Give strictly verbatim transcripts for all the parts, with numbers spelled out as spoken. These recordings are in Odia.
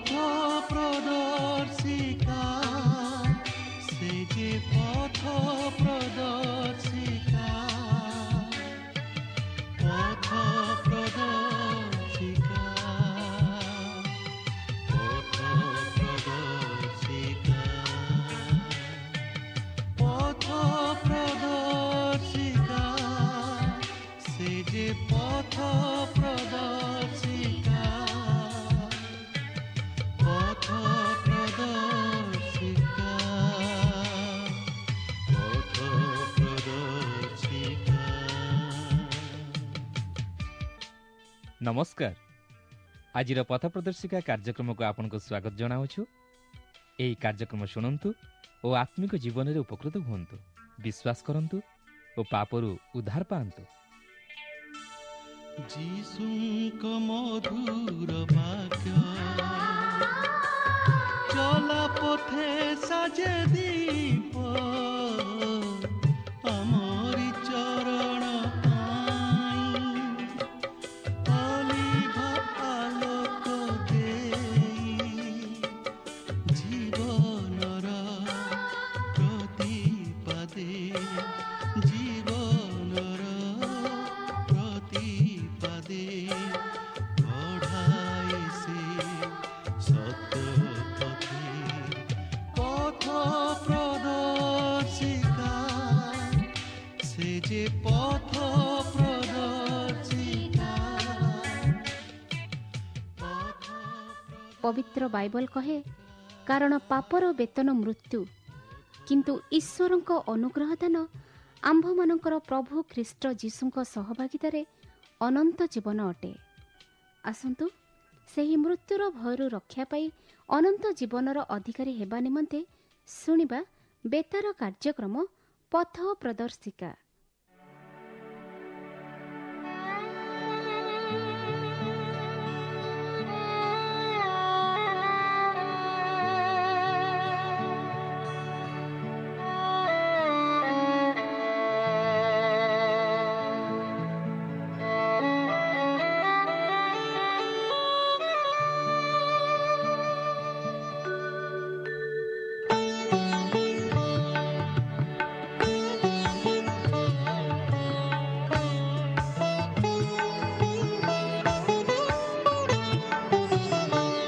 ପଥ ପ୍ରଦର୍ଶିକା, ସେ ଯେ ପଥ ପ୍ରଦର୍ଶିକା, ପଥ ପ୍ରଦର୍ଶିକା, ପଥ ପ୍ରଦର୍ଶିକା, ପଥ ପ୍ରଦର୍ଶିକା, ସେ ଯେ ପଥ ପ୍ରଦର୍ଶିକା, ପଥ ପ୍ରଦର୍ଶିକା, ପଥ ପ୍ରଦର୍ଶିକା। ନମସ୍କାର। ଆଜିର ପଥ ପ୍ରଦର୍ଶିକା କାର୍ଯ୍ୟକ୍ରମକୁ ଆପଣଙ୍କୁ ସ୍ୱାଗତ ଜଣାଉଛୁ। ଏହି କାର୍ଯ୍ୟକ୍ରମ ଶୁଣନ୍ତୁ ଓ ଆତ୍ମିକ ଜୀବନରେ ଉପକୃତ ହୁଅନ୍ତୁ, ବିଶ୍ୱାସ କରନ୍ତୁ ଓ ପାପରୁ ଉଦ୍ଧାର ପାଆନ୍ତୁ। ଯୀଶୁଙ୍କ ମଧୁର ବାକ୍ୟ ଚଲା ପଥେ ସାଜେ ଦୀପ, ଆମରି ଚରଣ ପାଇଁ ଅଲିଭା ଆଲୋକ ଦେଇ, ଜୀବନର ପ୍ରତିପାଦେ, ଜୀବନର ପ୍ରତିପାଦେ କଢ଼ାଏ ସେ ସତ୍ୟ ପଥେ। ପଥ ପ୍ରଦର୍ଶିକା, ସେ ଯେ ପଥ ପ୍ରଦର୍ଶିକା, ପଥ ପବିତ୍ର ବାଇବଲ କହେ, କାରଣ ପାପର ବେତନ ମୃତ୍ୟୁ, କିନ୍ତୁ ଈଶ୍ୱରଙ୍କ ଅନୁଗ୍ରହ ଦାନ ଆମ୍ଭମାନଙ୍କର ପ୍ରଭୁ ଖ୍ରୀଷ୍ଟ ଯୀଶୁଙ୍କ ସହଭାଗିତାରେ ଅନନ୍ତ ଜୀବନ ଅଟେ। ଆସନ୍ତୁ ସେହି ମୃତ୍ୟୁର ଭୟରୁ ରକ୍ଷା ପାଇ ଅନନ୍ତ ଜୀବନର ଅଧିକାରୀ ହେବା ନିମନ୍ତେ ଶୁଣିବା ବେତାର କାର୍ଯ୍ୟକ୍ରମ ପଥ ପ୍ରଦର୍ଶିକା।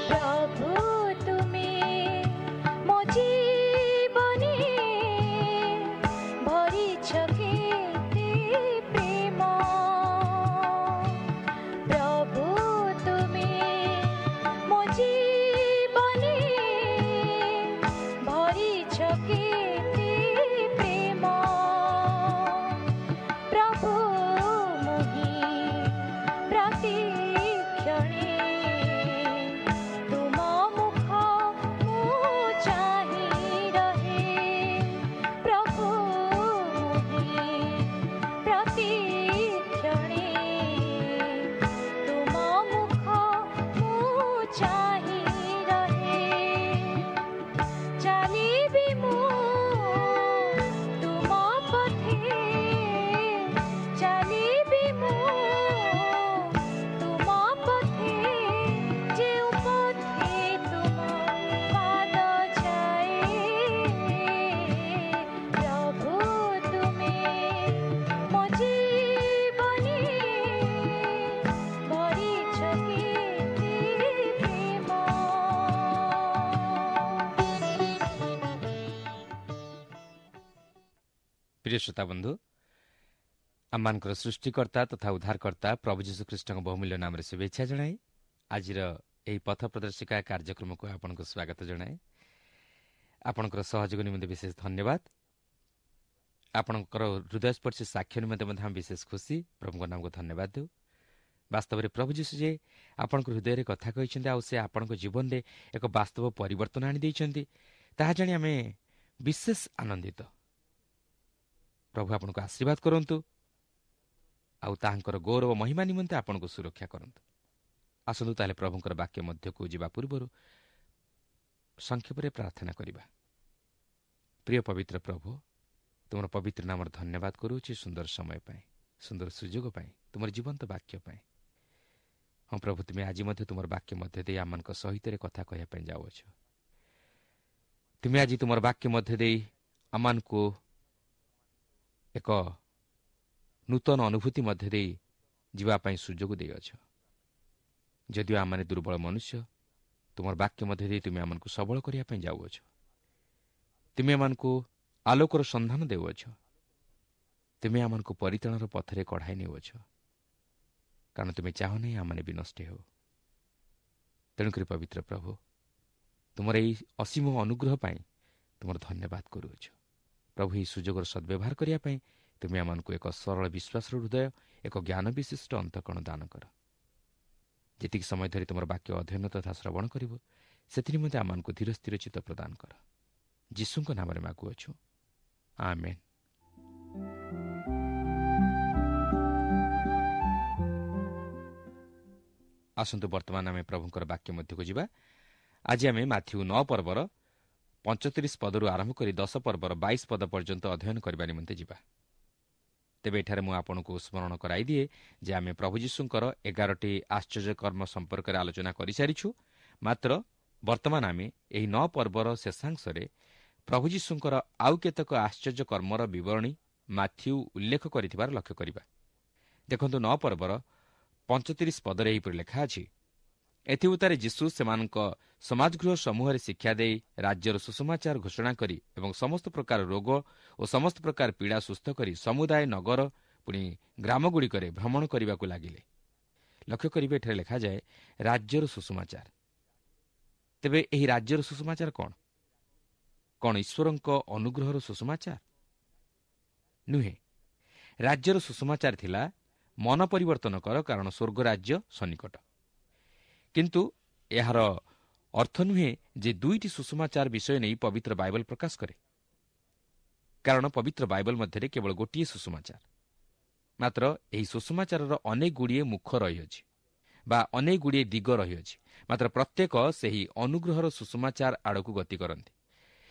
ପ୍ରଭୁ ତୁମେ ମୋ ଜୀବନେ ଭରିଛ କେତେ ପ୍ରେମ, ପ୍ରଭୁ ତୁମେ ମୋ ଜୀବନେ ଭରିଛ କେତେ ପ୍ରେମ, ପ୍ରଭୁ ମୁହିଁ ପ୍ରତିକ୍ଷଣେ ତୁମ ମୁଖ ମୁଁ ଚାହିଁ ରହେ, ପ୍ରଭୁ ମୁହିଁ ପ୍ରତିକ୍ଷଣେ ତୁମ ମୁଖ ମୁଁ ଚାହିଁ ରହେ, ଚାଲିବି ମୁଁ ତୁମ ପଥେ, ଚାଲିବି ମୁଁ ତୁମ ପଥେ, ଯେଉଁ ପଥେ ତୁମ ପାଦ ଯାଏ, ପ୍ରଭୁ ତୁମେ ମୋ ଜୀବନେ ଭରିଛ କେତେ ପ୍ରେମ। ପ୍ରିୟ ଶ୍ରୋତା ବନ୍ଧୁ, ଆମମାନଙ୍କର ସୃଷ୍ଟିକର୍ତ୍ତା ତଥା ଉଦ୍ଧାରକର୍ତ୍ତା ପ୍ରଭୁ ଯୀଶୁଖ୍ରୀଷ୍ଟଙ୍କ ବହୁମୂଲ୍ୟ ନାମରେ ଶୁଭେଚ୍ଛା ଜଣାଇ ଆଜିର ଏହି ପଥ ପ୍ରଦର୍ଶିକା କାର୍ଯ୍ୟକ୍ରମକୁ ଆପଣଙ୍କୁ ସ୍ୱାଗତ ଜଣାଏ। ଆପଣଙ୍କର ସହଯୋଗ ନିମନ୍ତେ ବିଶେଷ ଧନ୍ୟବାଦ। ଆପଣଙ୍କର ହୃଦୟସ୍ପର୍ଶୀ ସାକ୍ଷ୍ୟ ନିମନ୍ତେ ମଧ୍ୟ ଆମେ ବିଶେଷ ଖୁସି। ପ୍ରଭୁଙ୍କ ନାମକୁ ଧନ୍ୟବାଦ ଦେଉ। ବାସ୍ତବରେ ପ୍ରଭୁ ଯୀଶୁ ଯେ ଆପଣଙ୍କ ହୃଦୟରେ କଥା କହିଛନ୍ତି ଆଉ ସେ ଆପଣଙ୍କ ଜୀବନରେ ଏକ ବାସ୍ତବ ପରିବର୍ତ୍ତନ ଆଣିଦେଇଛନ୍ତି, ତାହା ଜାଣି ଆମେ ବିଶେଷ ଆନନ୍ଦିତ। ପ୍ରଭୁ ଆପଣଙ୍କୁ ଆଶୀର୍ବାଦ କରନ୍ତୁ ଆଉ ତାହାଙ୍କର ଗୌରବ ମହିମା ନିମନ୍ତେ ଆପଣଙ୍କୁ ସୁରକ୍ଷା କରନ୍ତୁ। ଆସନ୍ତୁ ତାହେଲେ ପ୍ରଭୁଙ୍କର ବାକ୍ୟ ମଧ୍ୟକୁ ଯିବା ପୂର୍ବରୁ ସଂକ୍ଷେପରେ ପ୍ରାର୍ଥନା କରିବା। ପ୍ରିୟ ପବିତ୍ର ପ୍ରଭୁ, ତୁମର ପବିତ୍ର ନାମର ଧନ୍ୟବାଦ କରୁଅଛି ସୁନ୍ଦର ସମୟ ପାଇଁ, ସୁନ୍ଦର ସୁଯୋଗ ପାଇଁ, ତୁମର ଜୀବନ୍ତ ବାକ୍ୟ ପାଇଁ। ହଁ ପ୍ରଭୁ, ତୁମେ ଆଜି ମଧ୍ୟ ତୁମର ବାକ୍ୟ ମଧ୍ୟ ଦେଇ ଆମମାନଙ୍କ ସହିତ କଥା କହିବା ପାଇଁ ଯାଉଅଛ। ତୁମେ ଆଜି ତୁମର ବାକ୍ୟ ମଧ୍ୟ ଦେଇ ଆମମାନଙ୍କୁ ଏକ ନୂତନ ଅନୁଭୂତି ମଧ୍ୟ ଦେଇ ଯିବା ପାଇଁ ସୁଯୋଗ ଦେଇଅଛ। ଯଦିଓ ଆମମାନେ ଦୁର୍ବଳ ମନୁଷ୍ୟ, ତୁମର ବାକ୍ୟ ମଧ୍ୟ ଦେଇ ତୁମେ ଆମମାନଙ୍କୁ ସବଳ କରିବା ପାଇଁ ଯାଉଅଛ। ତୁମେ ଆମମାନଙ୍କୁ ଆଲୋକର ସନ୍ଧାନ ଦେଉଅଛ। ତୁମେ ଆମମାନଙ୍କୁ ପରିତ୍ରାଣର ପଥରେ କଢ଼ାଇ ନେଉଅଛ, କାରଣ ତୁମେ ଚାହୁଁ ନାହିଁ ଆମମାନେ ବିନଷ୍ଟ ହେଉ। ତେଣୁକରି ପବିତ୍ର ପ୍ରଭୁ, ତୁମର ଏହି ଅସୀମ ଅନୁଗ୍ରହ ପାଇଁ ତୁମର ଧନ୍ୟବାଦ କରୁଅଛୁ। ପ୍ରଭୁ, ଏହି ସୁଯୋଗର ସଦ୍ବ୍ୟବହାର କରିବା ପାଇଁ ତୁମେ ଆମମାନଙ୍କୁ ଏକ ସରଳ ବିଶ୍ୱାସର ହୃଦୟ, ଏକ ଜ୍ଞାନ ବିଶିଷ୍ଟ ଅନ୍ତଃକରଣ ଦାନ କର। ଯେତିକି ସମୟ ଧରି ତୁମର ବାକ୍ୟ ଅଧ୍ୟୟନ ତଥା ଶ୍ରବଣ କରିବ, ସେଥିନିମନ୍ତେ ଆମମାନଙ୍କୁ ଧୀର ସ୍ଥିର ଚିତ୍ତ ପ୍ରଦାନ କର। ଯୀଶୁଙ୍କ ନାମରେ ମାଗୁଅଛୁ, ଆମେନ୍। ଆସନ୍ତୁ ବର୍ତ୍ତମାନ ଆମେ ପ୍ରଭୁଙ୍କର ବାକ୍ୟ ମଧ୍ୟକୁ ଯିବା। ଆଜି ଆମେ ମାଥିଉ ନଅ ପର୍ବର ପଞ୍ଚତିରିଶ ପଦରୁ ଆରମ୍ଭ କରି ଦଶ ପର୍ବର ବାଇଶ ପଦ ପର୍ଯ୍ୟନ୍ତ ଅଧ୍ୟୟନ କରିବା ନିମନ୍ତେ ଯିବା। ତେବେ ଏଠାରେ ମୁଁ ଆପଣଙ୍କୁ ସ୍ମରଣ କରାଇଦିଏ ଯେ ଆମେ ପ୍ରଭୁ ଯୀଶୁଙ୍କର ଏଗାରଟି ଆଶ୍ଚର୍ଯ୍ୟକର୍ମ ସମ୍ପର୍କରେ ଆଲୋଚନା କରିସାରିଛୁ। ମାତ୍ର ବର୍ତ୍ତମାନ ଆମେ ଏହି ନଅ ପର୍ବର ଶେଷାଂଶରେ ପ୍ରଭୁ ଯୀଶୁଙ୍କର ଆଉ କେତେକ ଆଶ୍ଚର୍ଯ୍ୟକର୍ମର ବିବରଣୀ ମାଥିଉ ଉଲ୍ଲେଖ କରିଥିବାର ଲକ୍ଷ୍ୟ କରିବା। ଦେଖନ୍ତୁ, ନଅ ପର୍ବର ପଞ୍ଚତିରିଶ ପଦରେ ଏହିପରି ଲେଖା ଅଛି, ଏଥିଉତ୍ତାରେ ଯୀଶୁ ସେମାନଙ୍କ ସମାଜଗୃହ ସମୂହରେ ଶିକ୍ଷା ଦେଇ ରାଜ୍ୟର ସୁସମାଚାର ଘୋଷଣା କରି ଏବଂ ସମସ୍ତ ପ୍ରକାର ରୋଗ ଓ ସମସ୍ତ ପ୍ରକାର ପୀଡ଼ା ସୁସ୍ଥ କରି ସମୁଦାୟ ନଗର ପୁଣି ଗ୍ରାମଗୁଡ଼ିକରେ ଭ୍ରମଣ କରିବାକୁ ଲାଗିଲେ। ଲକ୍ଷ୍ୟ କରିବେ, ଏଠାରେ ଲେଖାଯାଏ ରାଜ୍ୟର ସୁସମାଚାର। ତେବେ ଏହି ରାଜ୍ୟର ସୁସମାଚାର କ'ଣ? କ'ଣ ଈଶ୍ୱରଙ୍କ ଅନୁଗ୍ରହର ସୁସମାଚାର? ନୁହେଁ। ରାଜ୍ୟର ସୁସମାଚାର ଥିଲା ମନ ପରିବର୍ତ୍ତନ କର, କାରଣ ସ୍ୱର୍ଗ ରାଜ୍ୟ ସନ୍ନିକଟ। କିନ୍ତୁ ଏହାର ଅର୍ଥ ନୁହେଁ ଯେ ଦୁଇଟି ସୁସମାଚାର ବିଷୟ ନେଇ ପବିତ୍ର ବାଇବଲ ପ୍ରକାଶ କରେ, କାରଣ ପବିତ୍ର ବାଇବଲ ମଧ୍ୟରେ କେବଳ ଗୋଟିଏ ସୁସମାଚାର। ମାତ୍ର ଏହି ସୁସମାଚାରର ଅନେକ ଗୁଡ଼ିଏ ମୁଖ ରହିଅଛି ବା ଅନେକ ଗୁଡ଼ିଏ ଦିଗ ରହିଅଛି, ମାତ୍ର ପ୍ରତ୍ୟେକ ସେହି ଅନୁଗ୍ରହର ସୁସମାଚାର ଆଡ଼କୁ ଗତି କରନ୍ତି।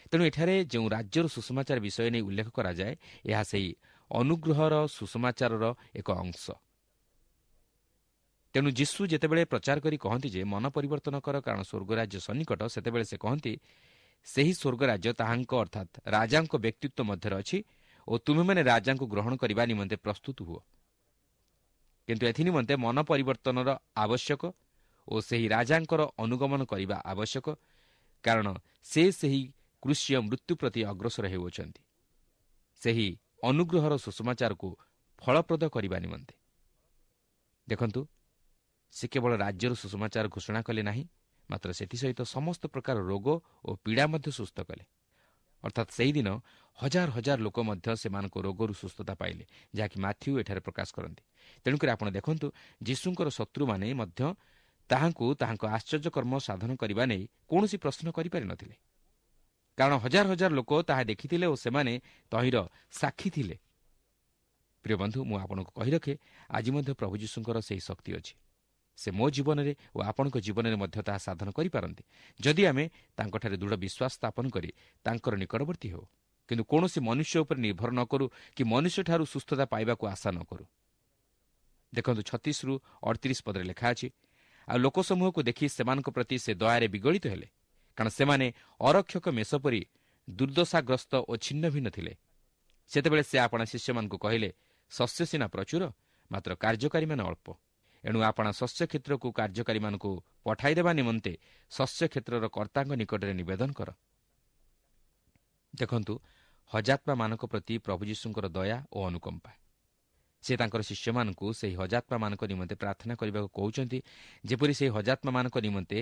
ତେଣୁ ଏଠାରେ ଯେଉଁ ରାଜ୍ୟର ସୁସମାଚାର ବିଷୟ ନେଇ ଉଲ୍ଲେଖ କରାଯାଏ, ଏହା ସେହି ଅନୁଗ୍ରହର ସୁସମାଚାରର ଏକ ଅଂଶ। ତେଣୁ ଯୀଶୁ ଯେତେବେଳେ ପ୍ରଚାର କରି କହନ୍ତି ଯେ ମନ ପରିବର୍ତ୍ତନ କର, କାରଣ ସ୍ୱର୍ଗରାଜ୍ୟ ସନ୍ନିକଟ, ସେତେବେଳେ ସେ କହନ୍ତି ସେହି ସ୍ୱର୍ଗରାଜ୍ୟ ତାହାଙ୍କ ଅର୍ଥାତ୍ ରାଜାଙ୍କ ବ୍ୟକ୍ତିତ୍ୱ ମଧ୍ୟରେ ଅଛି ଓ ତୁମେମାନେ ରାଜାଙ୍କୁ ଗ୍ରହଣ କରିବା ନିମନ୍ତେ ପ୍ରସ୍ତୁତ ହୁଅ। କିନ୍ତୁ ଏଥିନିମନ୍ତେ ମନ ପରିବର୍ତ୍ତନର ଆବଶ୍ୟକ ଓ ସେହି ରାଜାଙ୍କର ଅନୁଗମନ କରିବା ଆବଶ୍ୟକ, କାରଣ ସେ ସେହି କୃଷୀୟ ମୃତ୍ୟୁ ପ୍ରତି ଅଗ୍ରସର ହେଉଅଛନ୍ତି, ସେହି ଅନୁଗ୍ରହର ସୁସମାଚାରକୁ ଫଳପ୍ରଦ କରିବା ନିମନ୍ତେ। ଦେଖନ୍ତୁ, ସେ କେବଳ ରାଜ୍ୟର ସୁସମାଚାର ଘୋଷଣା କଲେ ନାହିଁ, ମାତ୍ର ସେଥିସହିତ ସମସ୍ତ ପ୍ରକାର ରୋଗ ଓ ପୀଡ଼ା ମଧ୍ୟ ସୁସ୍ଥ କଲେ। ଅର୍ଥାତ୍ ସେହିଦିନ ହଜାର ହଜାର ଲୋକ ମଧ୍ୟ ସେମାନଙ୍କ ରୋଗରୁ ସୁସ୍ଥତା ପାଇଲେ, ଯାହାକି ମାଥିଉ ଏଠାରେ ପ୍ରକାଶ କରନ୍ତି। ତେଣୁକରି ଆପଣ ଦେଖନ୍ତୁ, ଯୀଶୁଙ୍କର ଶତ୍ରୁମାନେ ମଧ୍ୟ ତାହାଙ୍କୁ ତାହାଙ୍କ ଆଶ୍ଚର୍ଯ୍ୟକର୍ମ ସାଧନ କରିବା ନେଇ କୌଣସି ପ୍ରଶ୍ନ କରିପାରିନଥିଲେ, କାରଣ ହଜାର ହଜାର ଲୋକ ତାହା ଦେଖିଥିଲେ ଓ ସେମାନେ ତହିଁର ସାକ୍ଷୀ ଥିଲେ। ପ୍ରିୟ ବନ୍ଧୁ, ମୁଁ ଆପଣଙ୍କୁ କହି ରଖେ, ଆଜି ମଧ୍ୟ ପ୍ରଭୁ ଯୀଶୁଙ୍କର ସେହି ଶକ୍ତି ଅଛି। ସେ ମୋ ଜୀବନରେ ଓ ଆପଣଙ୍କ ଜୀବନରେ ମଧ୍ୟ ତାହା ସାଧନ କରିପାରନ୍ତି, ଯଦି ଆମେ ତାଙ୍କଠାରେ ଦୃଢ଼ ବିଶ୍ୱାସ ସ୍ଥାପନ କରି ତାଙ୍କର ନିକଟବର୍ତ୍ତୀ ହେଉ, କିନ୍ତୁ କୌଣସି ମନୁଷ୍ୟ ଉପରେ ନିର୍ଭର ନ କରୁ କି ମନୁଷ୍ୟଠାରୁ ସୁସ୍ଥତା ପାଇବାକୁ ଆଶା ନ କରୁ। ଦେଖନ୍ତୁ, ଛତିଶରୁ ଅଠତିରିଶ ପଦରେ ଲେଖା ଅଛି, ଆଉ ଲୋକସମୂହକୁ ଦେଖି ସେମାନଙ୍କ ପ୍ରତି ସେ ଦୟାରେ ବିଗଳିତ ହେଲେ, କାରଣ ସେମାନେ ଅରକ୍ଷକ ମେଷ ପରି ଦୁର୍ଦ୍ଦଶାଗ୍ରସ୍ତ ଓ ଛିନ୍ନ ଭିନ୍ନ ଥିଲେ। ସେତେବେଳେ ସେ ଆପଣା ଶିଷ୍ୟମାନଙ୍କୁ କହିଲେ, ଶସ୍ୟ ସିନା ପ୍ରଚୁର, ମାତ୍ର କାର୍ଯ୍ୟକାରୀମାନେ ଅଳ୍ପ। ଏଣୁ ଆପଣା ଶସ୍ୟ କ୍ଷେତ୍ରକୁ କାର୍ଯ୍ୟକାରୀମାନଙ୍କୁ ପଠାଇଦେବା ନିମନ୍ତେ ଶସ୍ୟ କ୍ଷେତ୍ରର କର୍ତ୍ତାଙ୍କ ନିକଟରେ ନିବେଦନ କର। ଦେଖନ୍ତୁ, ହଜାତ୍ମାମାନଙ୍କ ପ୍ରତି ପ୍ରଭୁ ଯୀଶୁଙ୍କର ଦୟା ଓ ଅନୁକମ୍ପା। ସେ ତାଙ୍କର ଶିଷ୍ୟମାନଙ୍କୁ ସେହି ହଜାତ୍ମାମାନଙ୍କ ନିମନ୍ତେ ପ୍ରାର୍ଥନା କରିବାକୁ କହୁଛନ୍ତି, ଯେପରି ସେହି ହଜାତ୍ମାମାନଙ୍କ ନିମନ୍ତେ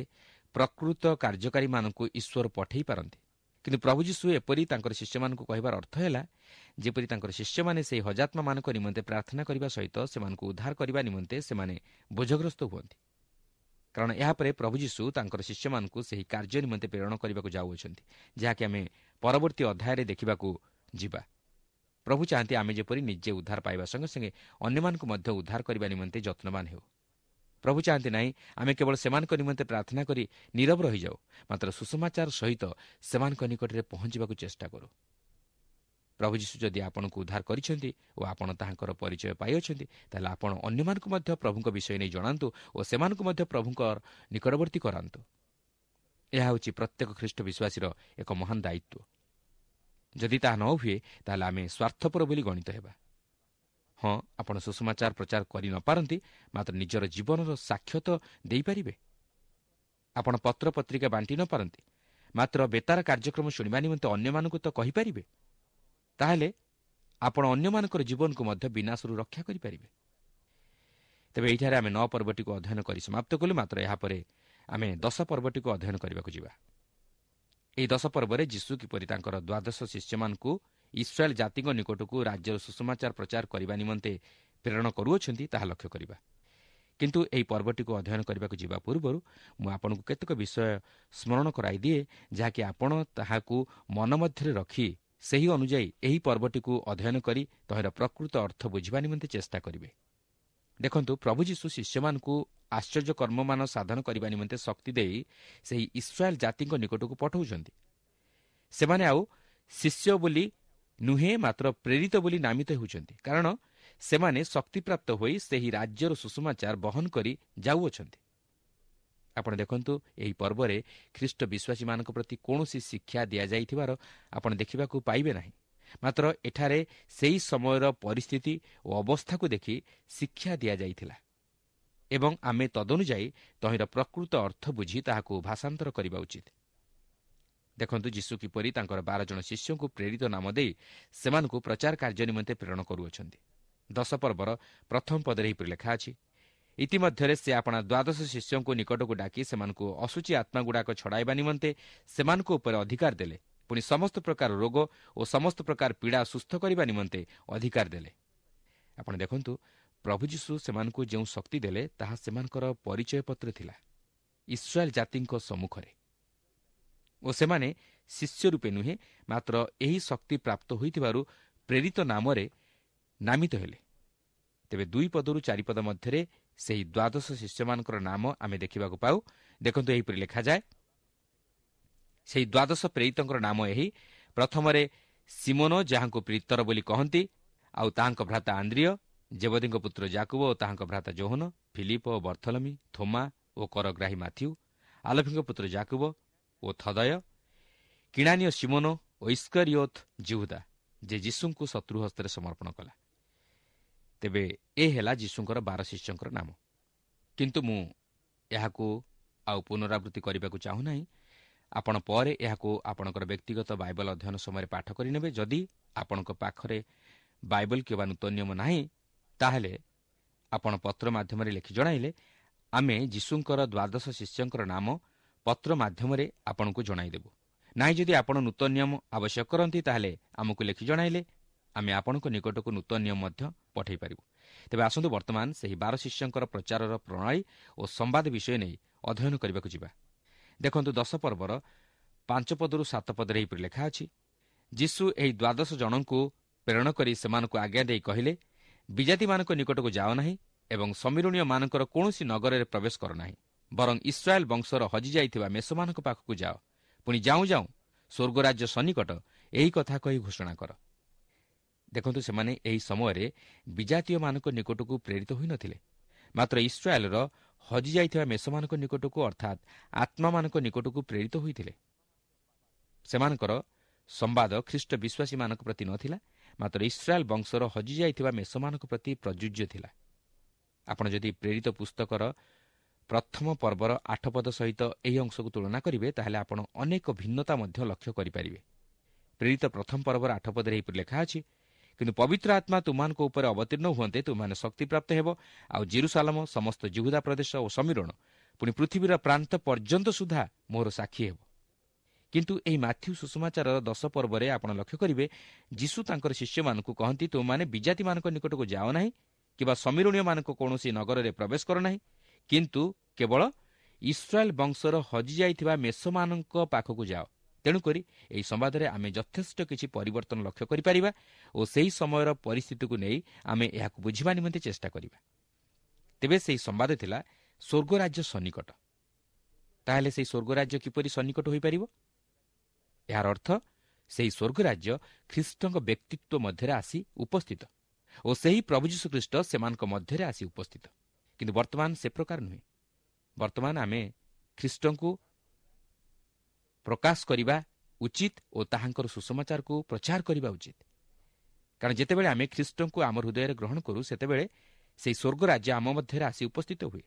ପ୍ରକୃତ କାର୍ଯ୍ୟକାରୀମାନଙ୍କୁ ଈଶ୍ୱର ପଠାଇ ପାରନ୍ତି। କିନ୍ତୁ ପ୍ରଭୁ ଯୀଶୁ ଏପରି ତାଙ୍କର ଶିଷ୍ୟମାନଙ୍କୁ କହିବାର ଅର୍ଥ ହେଲା ଯେପରି ତାଙ୍କର ଶିଷ୍ୟମାନେ ସେହି ହଜାତ୍ମାମାନଙ୍କ ନିମନ୍ତେ ପ୍ରାର୍ଥନା କରିବା ସହିତ ସେମାନଙ୍କୁ ଉଦ୍ଧାର କରିବା ନିମନ୍ତେ ସେମାନେ ବୋଝଗ୍ରସ୍ତ ହୁଅନ୍ତି। କାରଣ ଏହାପରେ ପ୍ରଭୁ ଯୀଶୁ ତାଙ୍କର ଶିଷ୍ୟମାନଙ୍କୁ ସେହି କାର୍ଯ୍ୟ ନିମନ୍ତେ ପ୍ରେରଣ କରିବାକୁ ଯାଉଅଛନ୍ତି, ଯାହାକି ଆମେ ପରବର୍ତ୍ତୀ ଅଧ୍ୟାୟରେ ଦେଖିବାକୁ ଯିବା। ପ୍ରଭୁ ଚାହାନ୍ତି ଆମେ ଯେପରି ନିଜେ ଉଦ୍ଧାର ପାଇବା ସଙ୍ଗେ ସଙ୍ଗେ ଅନ୍ୟମାନଙ୍କୁ ମଧ୍ୟ ଉଦ୍ଧାର କରିବା ନିମନ୍ତେ ଯତ୍ନବାନ ହେଉ। ପ୍ରଭୁ ଚାହାନ୍ତି ନାହିଁ ଆମେ କେବଳ ସେମାନଙ୍କ ନିମନ୍ତେ ପ୍ରାର୍ଥନା କରି ନୀରବ ରହିଯାଉ, ମାତ୍ର ସୁସମାଚାର ସହିତ ସେମାନଙ୍କ ନିକଟରେ ପହଞ୍ଚିବାକୁ ଚେଷ୍ଟା କରୁ। ପ୍ରଭୁ ଯୀଶୁ ଯଦି ଆପଣଙ୍କୁ ଉଦ୍ଧାର କରିଛନ୍ତି ଓ ଆପଣ ତାହାଙ୍କର ପରିଚୟ ପାଇଅଛନ୍ତି, ତାହେଲେ ଆପଣ ଅନ୍ୟମାନଙ୍କୁ ମଧ୍ୟ ପ୍ରଭୁଙ୍କ ବିଷୟ ନେଇ ଜଣାନ୍ତୁ ଓ ସେମାନଙ୍କୁ ମଧ୍ୟ ପ୍ରଭୁଙ୍କ ନିକଟବର୍ତ୍ତୀ କରାନ୍ତୁ। ଏହା ହେଉଛି ପ୍ରତ୍ୟେକ ଖ୍ରୀଷ୍ଟ ବିଶ୍ୱାସୀର ଏକ ମହାନ ଦାୟିତ୍ୱ। ଯଦି ତାହା ନ ହୁଏ, ତାହେଲେ ଆମେ ସ୍ୱାର୍ଥପର ବୋଲି ଗଣିତ ହେବା। ହଁ, ଆପଣ ସୁସମାଚାର ପ୍ରଚାର କରି ନପାରନ୍ତି, ମାତ୍ର ନିଜର ଜୀବନର ସାକ୍ଷ୍ୟ ତ ଦେଇପାରିବେ। ଆପଣ ପତ୍ରପତ୍ରିକା ବାଣ୍ଟି ନପାରନ୍ତି, ମାତ୍ର ବେତାର କାର୍ଯ୍ୟକ୍ରମ ଶୁଣିବା ନିମନ୍ତେ ଅନ୍ୟମାନଙ୍କୁ ତ କହିପାରିବେ। ତାହେଲେ ଆପଣ ଅନ୍ୟମାନଙ୍କର ଜୀବନକୁ ମଧ୍ୟ ବିନାଶରୁ ରକ୍ଷା କରିପାରିବେ। ତେବେ ଏଇଠାରେ ଆମେ ନଅ ପର୍ବଟିକୁ ଅଧ୍ୟୟନ କରି ସମାପ୍ତ କଲୁ, ମାତ୍ର ଏହାପରେ ଆମେ ଦଶ ପର୍ବଟିକୁ ଅଧ୍ୟୟନ କରିବାକୁ ଯିବା। ଏହି ଦଶ ପର୍ବରେ ଯୀଶୁ କିପରି ତାଙ୍କର ଦ୍ୱାଦଶ ଶିଷ୍ୟମାନଙ୍କୁ ଇସ୍ରାଏଲ ଜାତିଙ୍କ ନିକଟକୁ ରାଜ୍ୟର ସୁସମାଚାର ପ୍ରଚାର କରିବା ନିମନ୍ତେ ପ୍ରେରଣ କରୁଅଛନ୍ତି, ତାହା ଲକ୍ଷ୍ୟ କରିବା। କିନ୍ତୁ ଏହି ପର୍ବଟିକୁ ଅଧ୍ୟୟନ କରିବାକୁ ଯିବା ପୂର୍ବରୁ ମୁଁ ଆପଣଙ୍କୁ କେତେକ ବିଷୟ ସ୍ମରଣ କରାଇଦିଏ, ଯାହାକି ଆପଣ ତାହାକୁ ମନ ମଧ୍ୟରେ ରଖି ସେହି ଅନୁଯାୟୀ ଏହି ପର୍ବଟିକୁ ଅଧ୍ୟୟନ କରି ତହିଁର ପ୍ରକୃତ ଅର୍ଥ ବୁଝିବା ନିମନ୍ତେ ଚେଷ୍ଟା କରିବେ। ଦେଖନ୍ତୁ, ପ୍ରଭୁ ଯୀଶୁ ଶିଷ୍ୟମାନଙ୍କୁ ଆଶ୍ଚର୍ଯ୍ୟ କର୍ମମାନ ସାଧନ କରିବା ନିମନ୍ତେ ଶକ୍ତି ଦେଇ ସେହି ଇସ୍ରାଏଲ ଜାତିଙ୍କ ନିକଟକୁ ପଠାଉଛନ୍ତି। ସେମାନେ ଆଉ ଶିଷ୍ୟ ବୋଲି ନୁହେଁ, ମାତ୍ର ପ୍ରେରିତ ବୋଲି ନାମିତ ହେଉଛନ୍ତି, କାରଣ ସେମାନେ ଶକ୍ତିପ୍ରାପ୍ତ ହୋଇ ସେହି ରାଜ୍ୟର ସୁସମାଚାର ବହନ କରି ଯାଉଅଛନ୍ତି। ଆପଣ ଦେଖନ୍ତୁ, ଏହି ପର୍ବରେ ଖ୍ରୀଷ୍ଟ ବିଶ୍ୱାସୀମାନଙ୍କ ପ୍ରତି କୌଣସି ଶିକ୍ଷା ଦିଆଯାଇଥିବାର ଆପଣ ଦେଖିବାକୁ ପାଇବେ ନାହିଁ, ମାତ୍ର ଏଠାରେ ସେହି ସମୟର ପରିସ୍ଥିତି ଓ ଅବସ୍ଥାକୁ ଦେଖି ଶିକ୍ଷା ଦିଆଯାଇଥିଲା ଏବଂ ଆମେ ତଦନୁଯାୟୀ ତହିଁର ପ୍ରକୃତ ଅର୍ଥ ବୁଝି ତାହାକୁ ଭାଷାନ୍ତର କରିବା ଉଚିତ। ଦେଖନ୍ତୁ, ଯୀଶୁ କିପରି ତାଙ୍କର ବାର ଜଣ ଶିଷ୍ୟଙ୍କୁ ପ୍ରେରିତ ନାମ ଦେଇ ସେମାନଙ୍କୁ ପ୍ରଚାର କାର୍ଯ୍ୟ ନିମନ୍ତେ ପ୍ରେରଣ କରୁଅଛନ୍ତି। ଦଶ ପର୍ବର ପ୍ରଥମ ପଦରେ ଏହିପରି ଲେଖା ଅଛି, ଇତିମଧ୍ୟରେ ସେ ଆପଣା ଦ୍ୱାଦଶ ଶିଷ୍ୟଙ୍କୁ ନିକଟକୁ ଡାକି ସେମାନଙ୍କୁ ଅଶୁଚି ଆତ୍ମାଗୁଡ଼ାକ ଛଡ଼ାଇବା ନିମନ୍ତେ ସେମାନଙ୍କ ଉପରେ ଅଧିକାର ଦେଲେ, ପୁଣି ସମସ୍ତ ପ୍ରକାର ରୋଗ ଓ ସମସ୍ତ ପ୍ରକାର ପୀଡ଼ା ସୁସ୍ଥ କରିବା ନିମନ୍ତେ ଅଧିକାର ଦେଲେ। ଆପଣ ଦେଖନ୍ତୁ, ପ୍ରଭୁ ଯୀଶୁ ସେମାନଙ୍କୁ ଯେଉଁ ଶକ୍ତି ଦେଲେ ତାହା ସେମାନଙ୍କର ପରିଚୟପତ୍ର ଥିଲା ଇସ୍ରାଏଲ ଜାତିଙ୍କ ସମ୍ମୁଖରେ, ଓ ସେମାନେ ଶିଷ୍ୟ ରୂପେ ନୁହେଁ, ମାତ୍ର ଏହି ଶକ୍ତି ପ୍ରାପ୍ତ ହୋଇଥିବାରୁ ପ୍ରେରିତ ନାମରେ ନାମିତ ହେଲେ। ତେବେ ଦୁଇ ପଦରୁ ଚାରିପଦ ମଧ୍ୟରେ ସେହି ଦ୍ୱାଦଶ ଶିଷ୍ୟମାନଙ୍କର ନାମ ଆମେ ଦେଖିବାକୁ ପାଉ। ଦେଖନ୍ତୁ, ଏହିପରି ଲେଖାଯାଏ, ସେହି ଦ୍ୱାଦଶ ପ୍ରେରିତଙ୍କର ନାମ ଏହି: ପ୍ରଥମରେ ସିମୋନ, ଯାହାଙ୍କୁ ପିତର ବୋଲି କହନ୍ତି, ଆଉ ତାହାଙ୍କ ଭ୍ରାତା ଆନ୍ଦ୍ରିୟ, ଜେବଦୀଙ୍କ ପୁତ୍ର ଜାକୁବ ଓ ତାହାଙ୍କ ଭ୍ରାତା ଯୋହନ, ଫିଲିପ ଓ ବର୍ଥଲମି, ଥୋମା ଓ କରଗ୍ରାହୀ ମାଥିଉ, ଆଲଫିଙ୍କ ପୁତ୍ର ଜାକୁବ ଓ ଥଦୟ, କିଣାନୀୟ ସିମୋନ ଓ ଇସ୍କରିୟୋତ ଯିହୁଦା, ଯେ ଯୀଶୁଙ୍କୁ ଶତ୍ରୁ ହସ୍ତରେ ସମର୍ପଣ କଲା। ତେବେ ଏ ହେଲା ଯୀଶୁଙ୍କର ବାର ଶିଷ୍ୟଙ୍କର ନାମ। କିନ୍ତୁ ମୁଁ ଏହାକୁ ଆଉ ପୁନରାବୃତ୍ତି କରିବାକୁ ଚାହୁଁନାହିଁ। ଆପଣ ପରେ ଏହାକୁ ଆପଣଙ୍କର ବ୍ୟକ୍ତିଗତ ବାଇବଲ ଅଧ୍ୟୟନ ସମୟରେ ପାଠ କରିନେବେ। ଯଦି ଆପଣଙ୍କ ପାଖରେ ବାଇବଲ କିମ୍ବା ନୂତନ ନିୟମ ନାହିଁ, ତାହେଲେ ଆପଣ ପତ୍ର ମାଧ୍ୟମରେ ଲେଖି ଜଣାଇଲେ ଆମେ ଯୀଶୁଙ୍କର ଦ୍ୱାଦଶ ଶିଷ୍ୟଙ୍କର ନାମ ପତ୍ର ମାଧ୍ୟମରେ ଆପଣଙ୍କୁ ଜଣାଇଦେବୁ। ନାହିଁ ଯଦି ଆପଣ ନୂତନ ନିୟମ ଆବଶ୍ୟକ କରନ୍ତି, ତାହେଲେ ଆମକୁ ଲେଖି ଜଣାଇଲେ ଆମେ ଆପଣଙ୍କ ନିକଟକୁ ନୂତନ ନିୟମ ମଧ୍ୟ ପଠାଇ ପାରିବୁ। ତେବେ ଆସନ୍ତୁ ବର୍ତ୍ତମାନ ସେହି ବାର ଶିଷ୍ୟଙ୍କର ପ୍ରଚାରର ପ୍ରଣାଳୀ ଓ ସମ୍ବାଦ ବିଷୟ ନେଇ ଅଧ୍ୟୟନ କରିବାକୁ ଯିବା। ଦେଖନ୍ତୁ, ଦଶ ପର୍ବର ପାଞ୍ଚ ପଦରୁ ସାତ ପଦରେ ଏହିପରି ଲେଖା ଅଛି, ଯୀଶୁ ଏହି ଦ୍ୱାଦଶ ଜଣଙ୍କୁ ପ୍ରେରଣ କରି ସେମାନଙ୍କୁ ଆଜ୍ଞା ଦେଇ କହିଲେ, ବିଜାତିମାନଙ୍କ ନିକଟକୁ ଯାଅ ନାହିଁ ଏବଂ ସମୀରଣୀୟମାନଙ୍କର କୌଣସି ନଗରରେ ପ୍ରବେଶ କର ନାହିଁ, ବରଂ ଇସ୍ରାଏଲ ବଂଶର ହଜିଯାଇଥିବା ମେଷମାନଙ୍କ ପାଖକୁ ଯାଅ। ପୁଣି ଯାଉଁ ଯାଉଁ ସ୍ୱର୍ଗରାଜ୍ୟ ସନ୍ନିକଟ, ଏହି କଥା କହି ଘୋଷଣା କର। ଦେଖନ୍ତୁ, ସେମାନେ ଏହି ସମୟରେ ବିଜାତୀୟମାନଙ୍କ ନିକଟକୁ ପ୍ରେରିତ ହୋଇନଥିଲେ, ମାତ୍ର ଇସ୍ରାଏଲର ହଜିଯାଇଥିବା ମେଷମାନଙ୍କ ନିକଟକୁ, ଅର୍ଥାତ୍ ଆତ୍ମାମାନଙ୍କ ନିକଟକୁ ପ୍ରେରିତ ହୋଇଥିଲେ। ସେମାନଙ୍କର ସମ୍ବାଦ ଖ୍ରୀଷ୍ଟ ବିଶ୍ୱାସୀମାନଙ୍କ ପ୍ରତି ନଥିଲା, ମାତ୍ର ଇସ୍ରାଏଲ ବଂଶର ହଜିଯାଇଥିବା ମେଷମାନଙ୍କ ପ୍ରତି ପ୍ରଯୁଜ୍ୟ ଥିଲା। ଆପଣ ଯଦି ପ୍ରେରିତ ପୁସ୍ତକର ପ୍ରଥମ ପର୍ବର ଆଠ ପଦ ସହିତ ଏହି ଅଂଶକୁ ତୁଳନା କରିବେ, ତାହେଲେ ଆପଣ ଅନେକ ଭିନ୍ନତା ମଧ୍ୟ ଲକ୍ଷ୍ୟ କରିପାରିବେ। ପ୍ରେରିତ ପ୍ରଥମ ପର୍ବର ଆଠ ପଦରେ ଏହିପରି ଲେଖା ଅଛି, କିନ୍ତୁ ପବିତ୍ର ଆତ୍ମା ତୁମମାନଙ୍କ ଉପରେ ଅବତୀର୍ଣ୍ଣ ହୁଅନ୍ତେ ତୁମମାନେ ଶକ୍ତିପ୍ରାପ୍ତ ହେବ, ଆଉ ଜେରୁସାଲମ, ସମସ୍ତ ଯିହୁଦା ପ୍ରଦେଶ ଓ ସମୀରଣ, ପୁଣି ପୃଥିବୀର ପ୍ରାନ୍ତ ପର୍ଯ୍ୟନ୍ତ ସୁଦ୍ଧା ମୋର ସାକ୍ଷୀ ହେବ। କିନ୍ତୁ ଏହି ମାଥ୍ୟୁ ସୁସମାଚାରର ଦଶ ପର୍ବରେ ଆପଣ ଲକ୍ଷ୍ୟ କରିବେ, ଯୀଶୁ ତାଙ୍କର ଶିଷ୍ୟମାନଙ୍କୁ କହନ୍ତି, ତୁମମାନେ ବିଜାତିମାନଙ୍କ ନିକଟକୁ ଯାଅ ନାହିଁ କିମ୍ବା ସମୀରଣୀୟମାନଙ୍କ କୌଣସି ନଗରରେ ପ୍ରବେଶ କର ନାହିଁ, କିନ୍ତୁ କେବଳ ଇସ୍ରାଏଲ ବଂଶର ହଜିଯାଇଥିବା ମେଷମାନଙ୍କ ପାଖକୁ ଯାଅ। ତେଣୁକରି ଏହି ସମ୍ବାଦରେ ଆମେ ଯଥେଷ୍ଟ କିଛି ପରିବର୍ତ୍ତନ ଲକ୍ଷ୍ୟ କରିପାରିବା ଓ ସେହି ସମୟର ପରିସ୍ଥିତିକୁ ନେଇ ଆମେ ଏହାକୁ ବୁଝିବା ନିମନ୍ତେ ଚେଷ୍ଟା କରିବା। ତେବେ ସେହି ସମ୍ବାଦ ଥିଲା ସ୍ୱର୍ଗରାଜ୍ୟ ସନ୍ନିକଟ। ତାହେଲେ ସେହି ସ୍ୱର୍ଗରାଜ୍ୟ କିପରି ସନ୍ନିକଟ ହୋଇପାରିବ? ଏହାର ଅର୍ଥ ସେହି ସ୍ୱର୍ଗ ରାଜ୍ୟ ଖ୍ରୀଷ୍ଟଙ୍କ ବ୍ୟକ୍ତିତ୍ୱ ମଧ୍ୟରେ ଆସି ଉପସ୍ଥିତ ଓ ସେହି ପ୍ରଭୁ ଯୀଶୁଖ୍ରୀଷ୍ଟ ସେମାନଙ୍କ ମଧ୍ୟରେ ଆସି ଉପସ୍ଥିତ। କିନ୍ତୁ ବର୍ତ୍ତମାନ ସେ ପ୍ରକାର ନୁହେଁ। ବର୍ତ୍ତମାନ ଆମେ ଖ୍ରୀଷ୍ଟଙ୍କୁ ପ୍ରକାଶ କରିବା ଉଚିତ ଓ ତାହାଙ୍କର ସୁସମାଚାରକୁ ପ୍ରଚାର କରିବା ଉଚିତ। କାରଣ ଯେତେବେଳେ ଆମେ ଖ୍ରୀଷ୍ଟଙ୍କୁ ଆମ ହୃଦୟରେ ଗ୍ରହଣ କରୁ, ସେତେବେଳେ ସେହି ସ୍ୱର୍ଗ ରାଜ୍ୟ ଆମ ମଧ୍ୟରେ ଆସି ଉପସ୍ଥିତ ହୁଏ।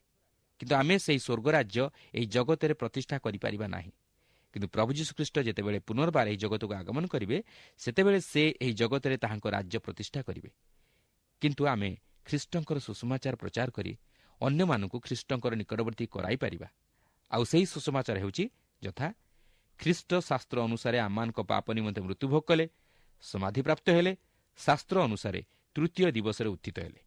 କିନ୍ତୁ ଆମେ ସେହି ସ୍ୱର୍ଗ ରାଜ୍ୟ ଏହି ଜଗତରେ ପ୍ରତିଷ୍ଠା କରିପାରିବା ନାହିଁ। କିନ୍ତୁ ପ୍ରଭୁ ଯୀଶୁଖ୍ରୀଷ୍ଟ ଯେତେବେଳେ ପୁନର୍ବାର ଏହି ଜଗତକୁ ଆଗମନ କରିବେ, ସେତେବେଳେ ସେ ଏହି ଜଗତରେ ତାହାଙ୍କ ରାଜ୍ୟ ପ୍ରତିଷ୍ଠା କରିବେ। କିନ୍ତୁ ଆମେ ଖ୍ରୀଷ୍ଟଙ୍କର ସୁସମାଚାର ପ୍ରଚାର କରି ଅନ୍ୟମାନଙ୍କୁ ଖ୍ରୀଷ୍ଟଙ୍କର ନିକଟବର୍ତ୍ତୀ କରାଇପାରିବା। ଆଉ ସେହି ସୁସମାଚାର ହେଉଛି ଯଥା ଖ୍ରୀଷ୍ଟ ଶାସ୍ତ୍ର ଅନୁସାରେ ଆମମାନଙ୍କ ପାପ ନିମନ୍ତେ ମୃତ୍ୟୁଭୋଗ କଲେ, ସମାଧିପ୍ରାପ୍ତ ହେଲେ, ଶାସ୍ତ୍ର ଅନୁସାରେ ତୃତୀୟ ଦିବସରେ ଉତ୍ଥିତ ହେଲେ।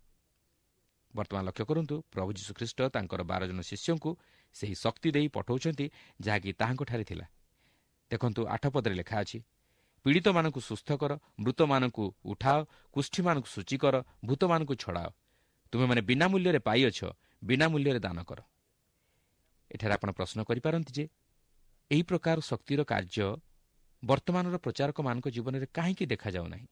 ବର୍ତ୍ତମାନ ଲକ୍ଷ୍ୟ କରନ୍ତୁ, ପ୍ରଭୁ ଯୀଶୁଖ୍ରୀଷ୍ଟ ତାଙ୍କର ବାର ଜଣ ଶିଷ୍ୟଙ୍କୁ ସେହି ଶକ୍ତି ଦେଇ ପଠାଉଛନ୍ତି ଯାହାକି ତାହାଙ୍କଠାରେ ଥିଲା। ଦେଖନ୍ତୁ, ଆଠ ପଦରେ ଲେଖା ଅଛି, ପୀଡ଼ିତମାନଙ୍କୁ ସୁସ୍ଥ କର, ମୃତମାନଙ୍କୁ ଉଠାଅ, କୁଷ୍ଠୀମାନଙ୍କୁ ସୂଚୀ କର, ଭୂତମାନଙ୍କୁ ଛଡ଼ାଅ। ତୁମେମାନେ ବିନା ମୂଲ୍ୟରେ ପାଇଅଛ, ବିନା ମୂଲ୍ୟରେ ଦାନ କର। ଏଠାରେ ଆପଣ ପ୍ରଶ୍ନ କରିପାରନ୍ତି ଯେ ଏହି ପ୍ରକାର ଶକ୍ତିର କାର୍ଯ୍ୟ ବର୍ତ୍ତମାନର ପ୍ରଚାରକମାନଙ୍କ ଜୀବନରେ କାହିଁକି ଦେଖାଯାଉ ନାହିଁ?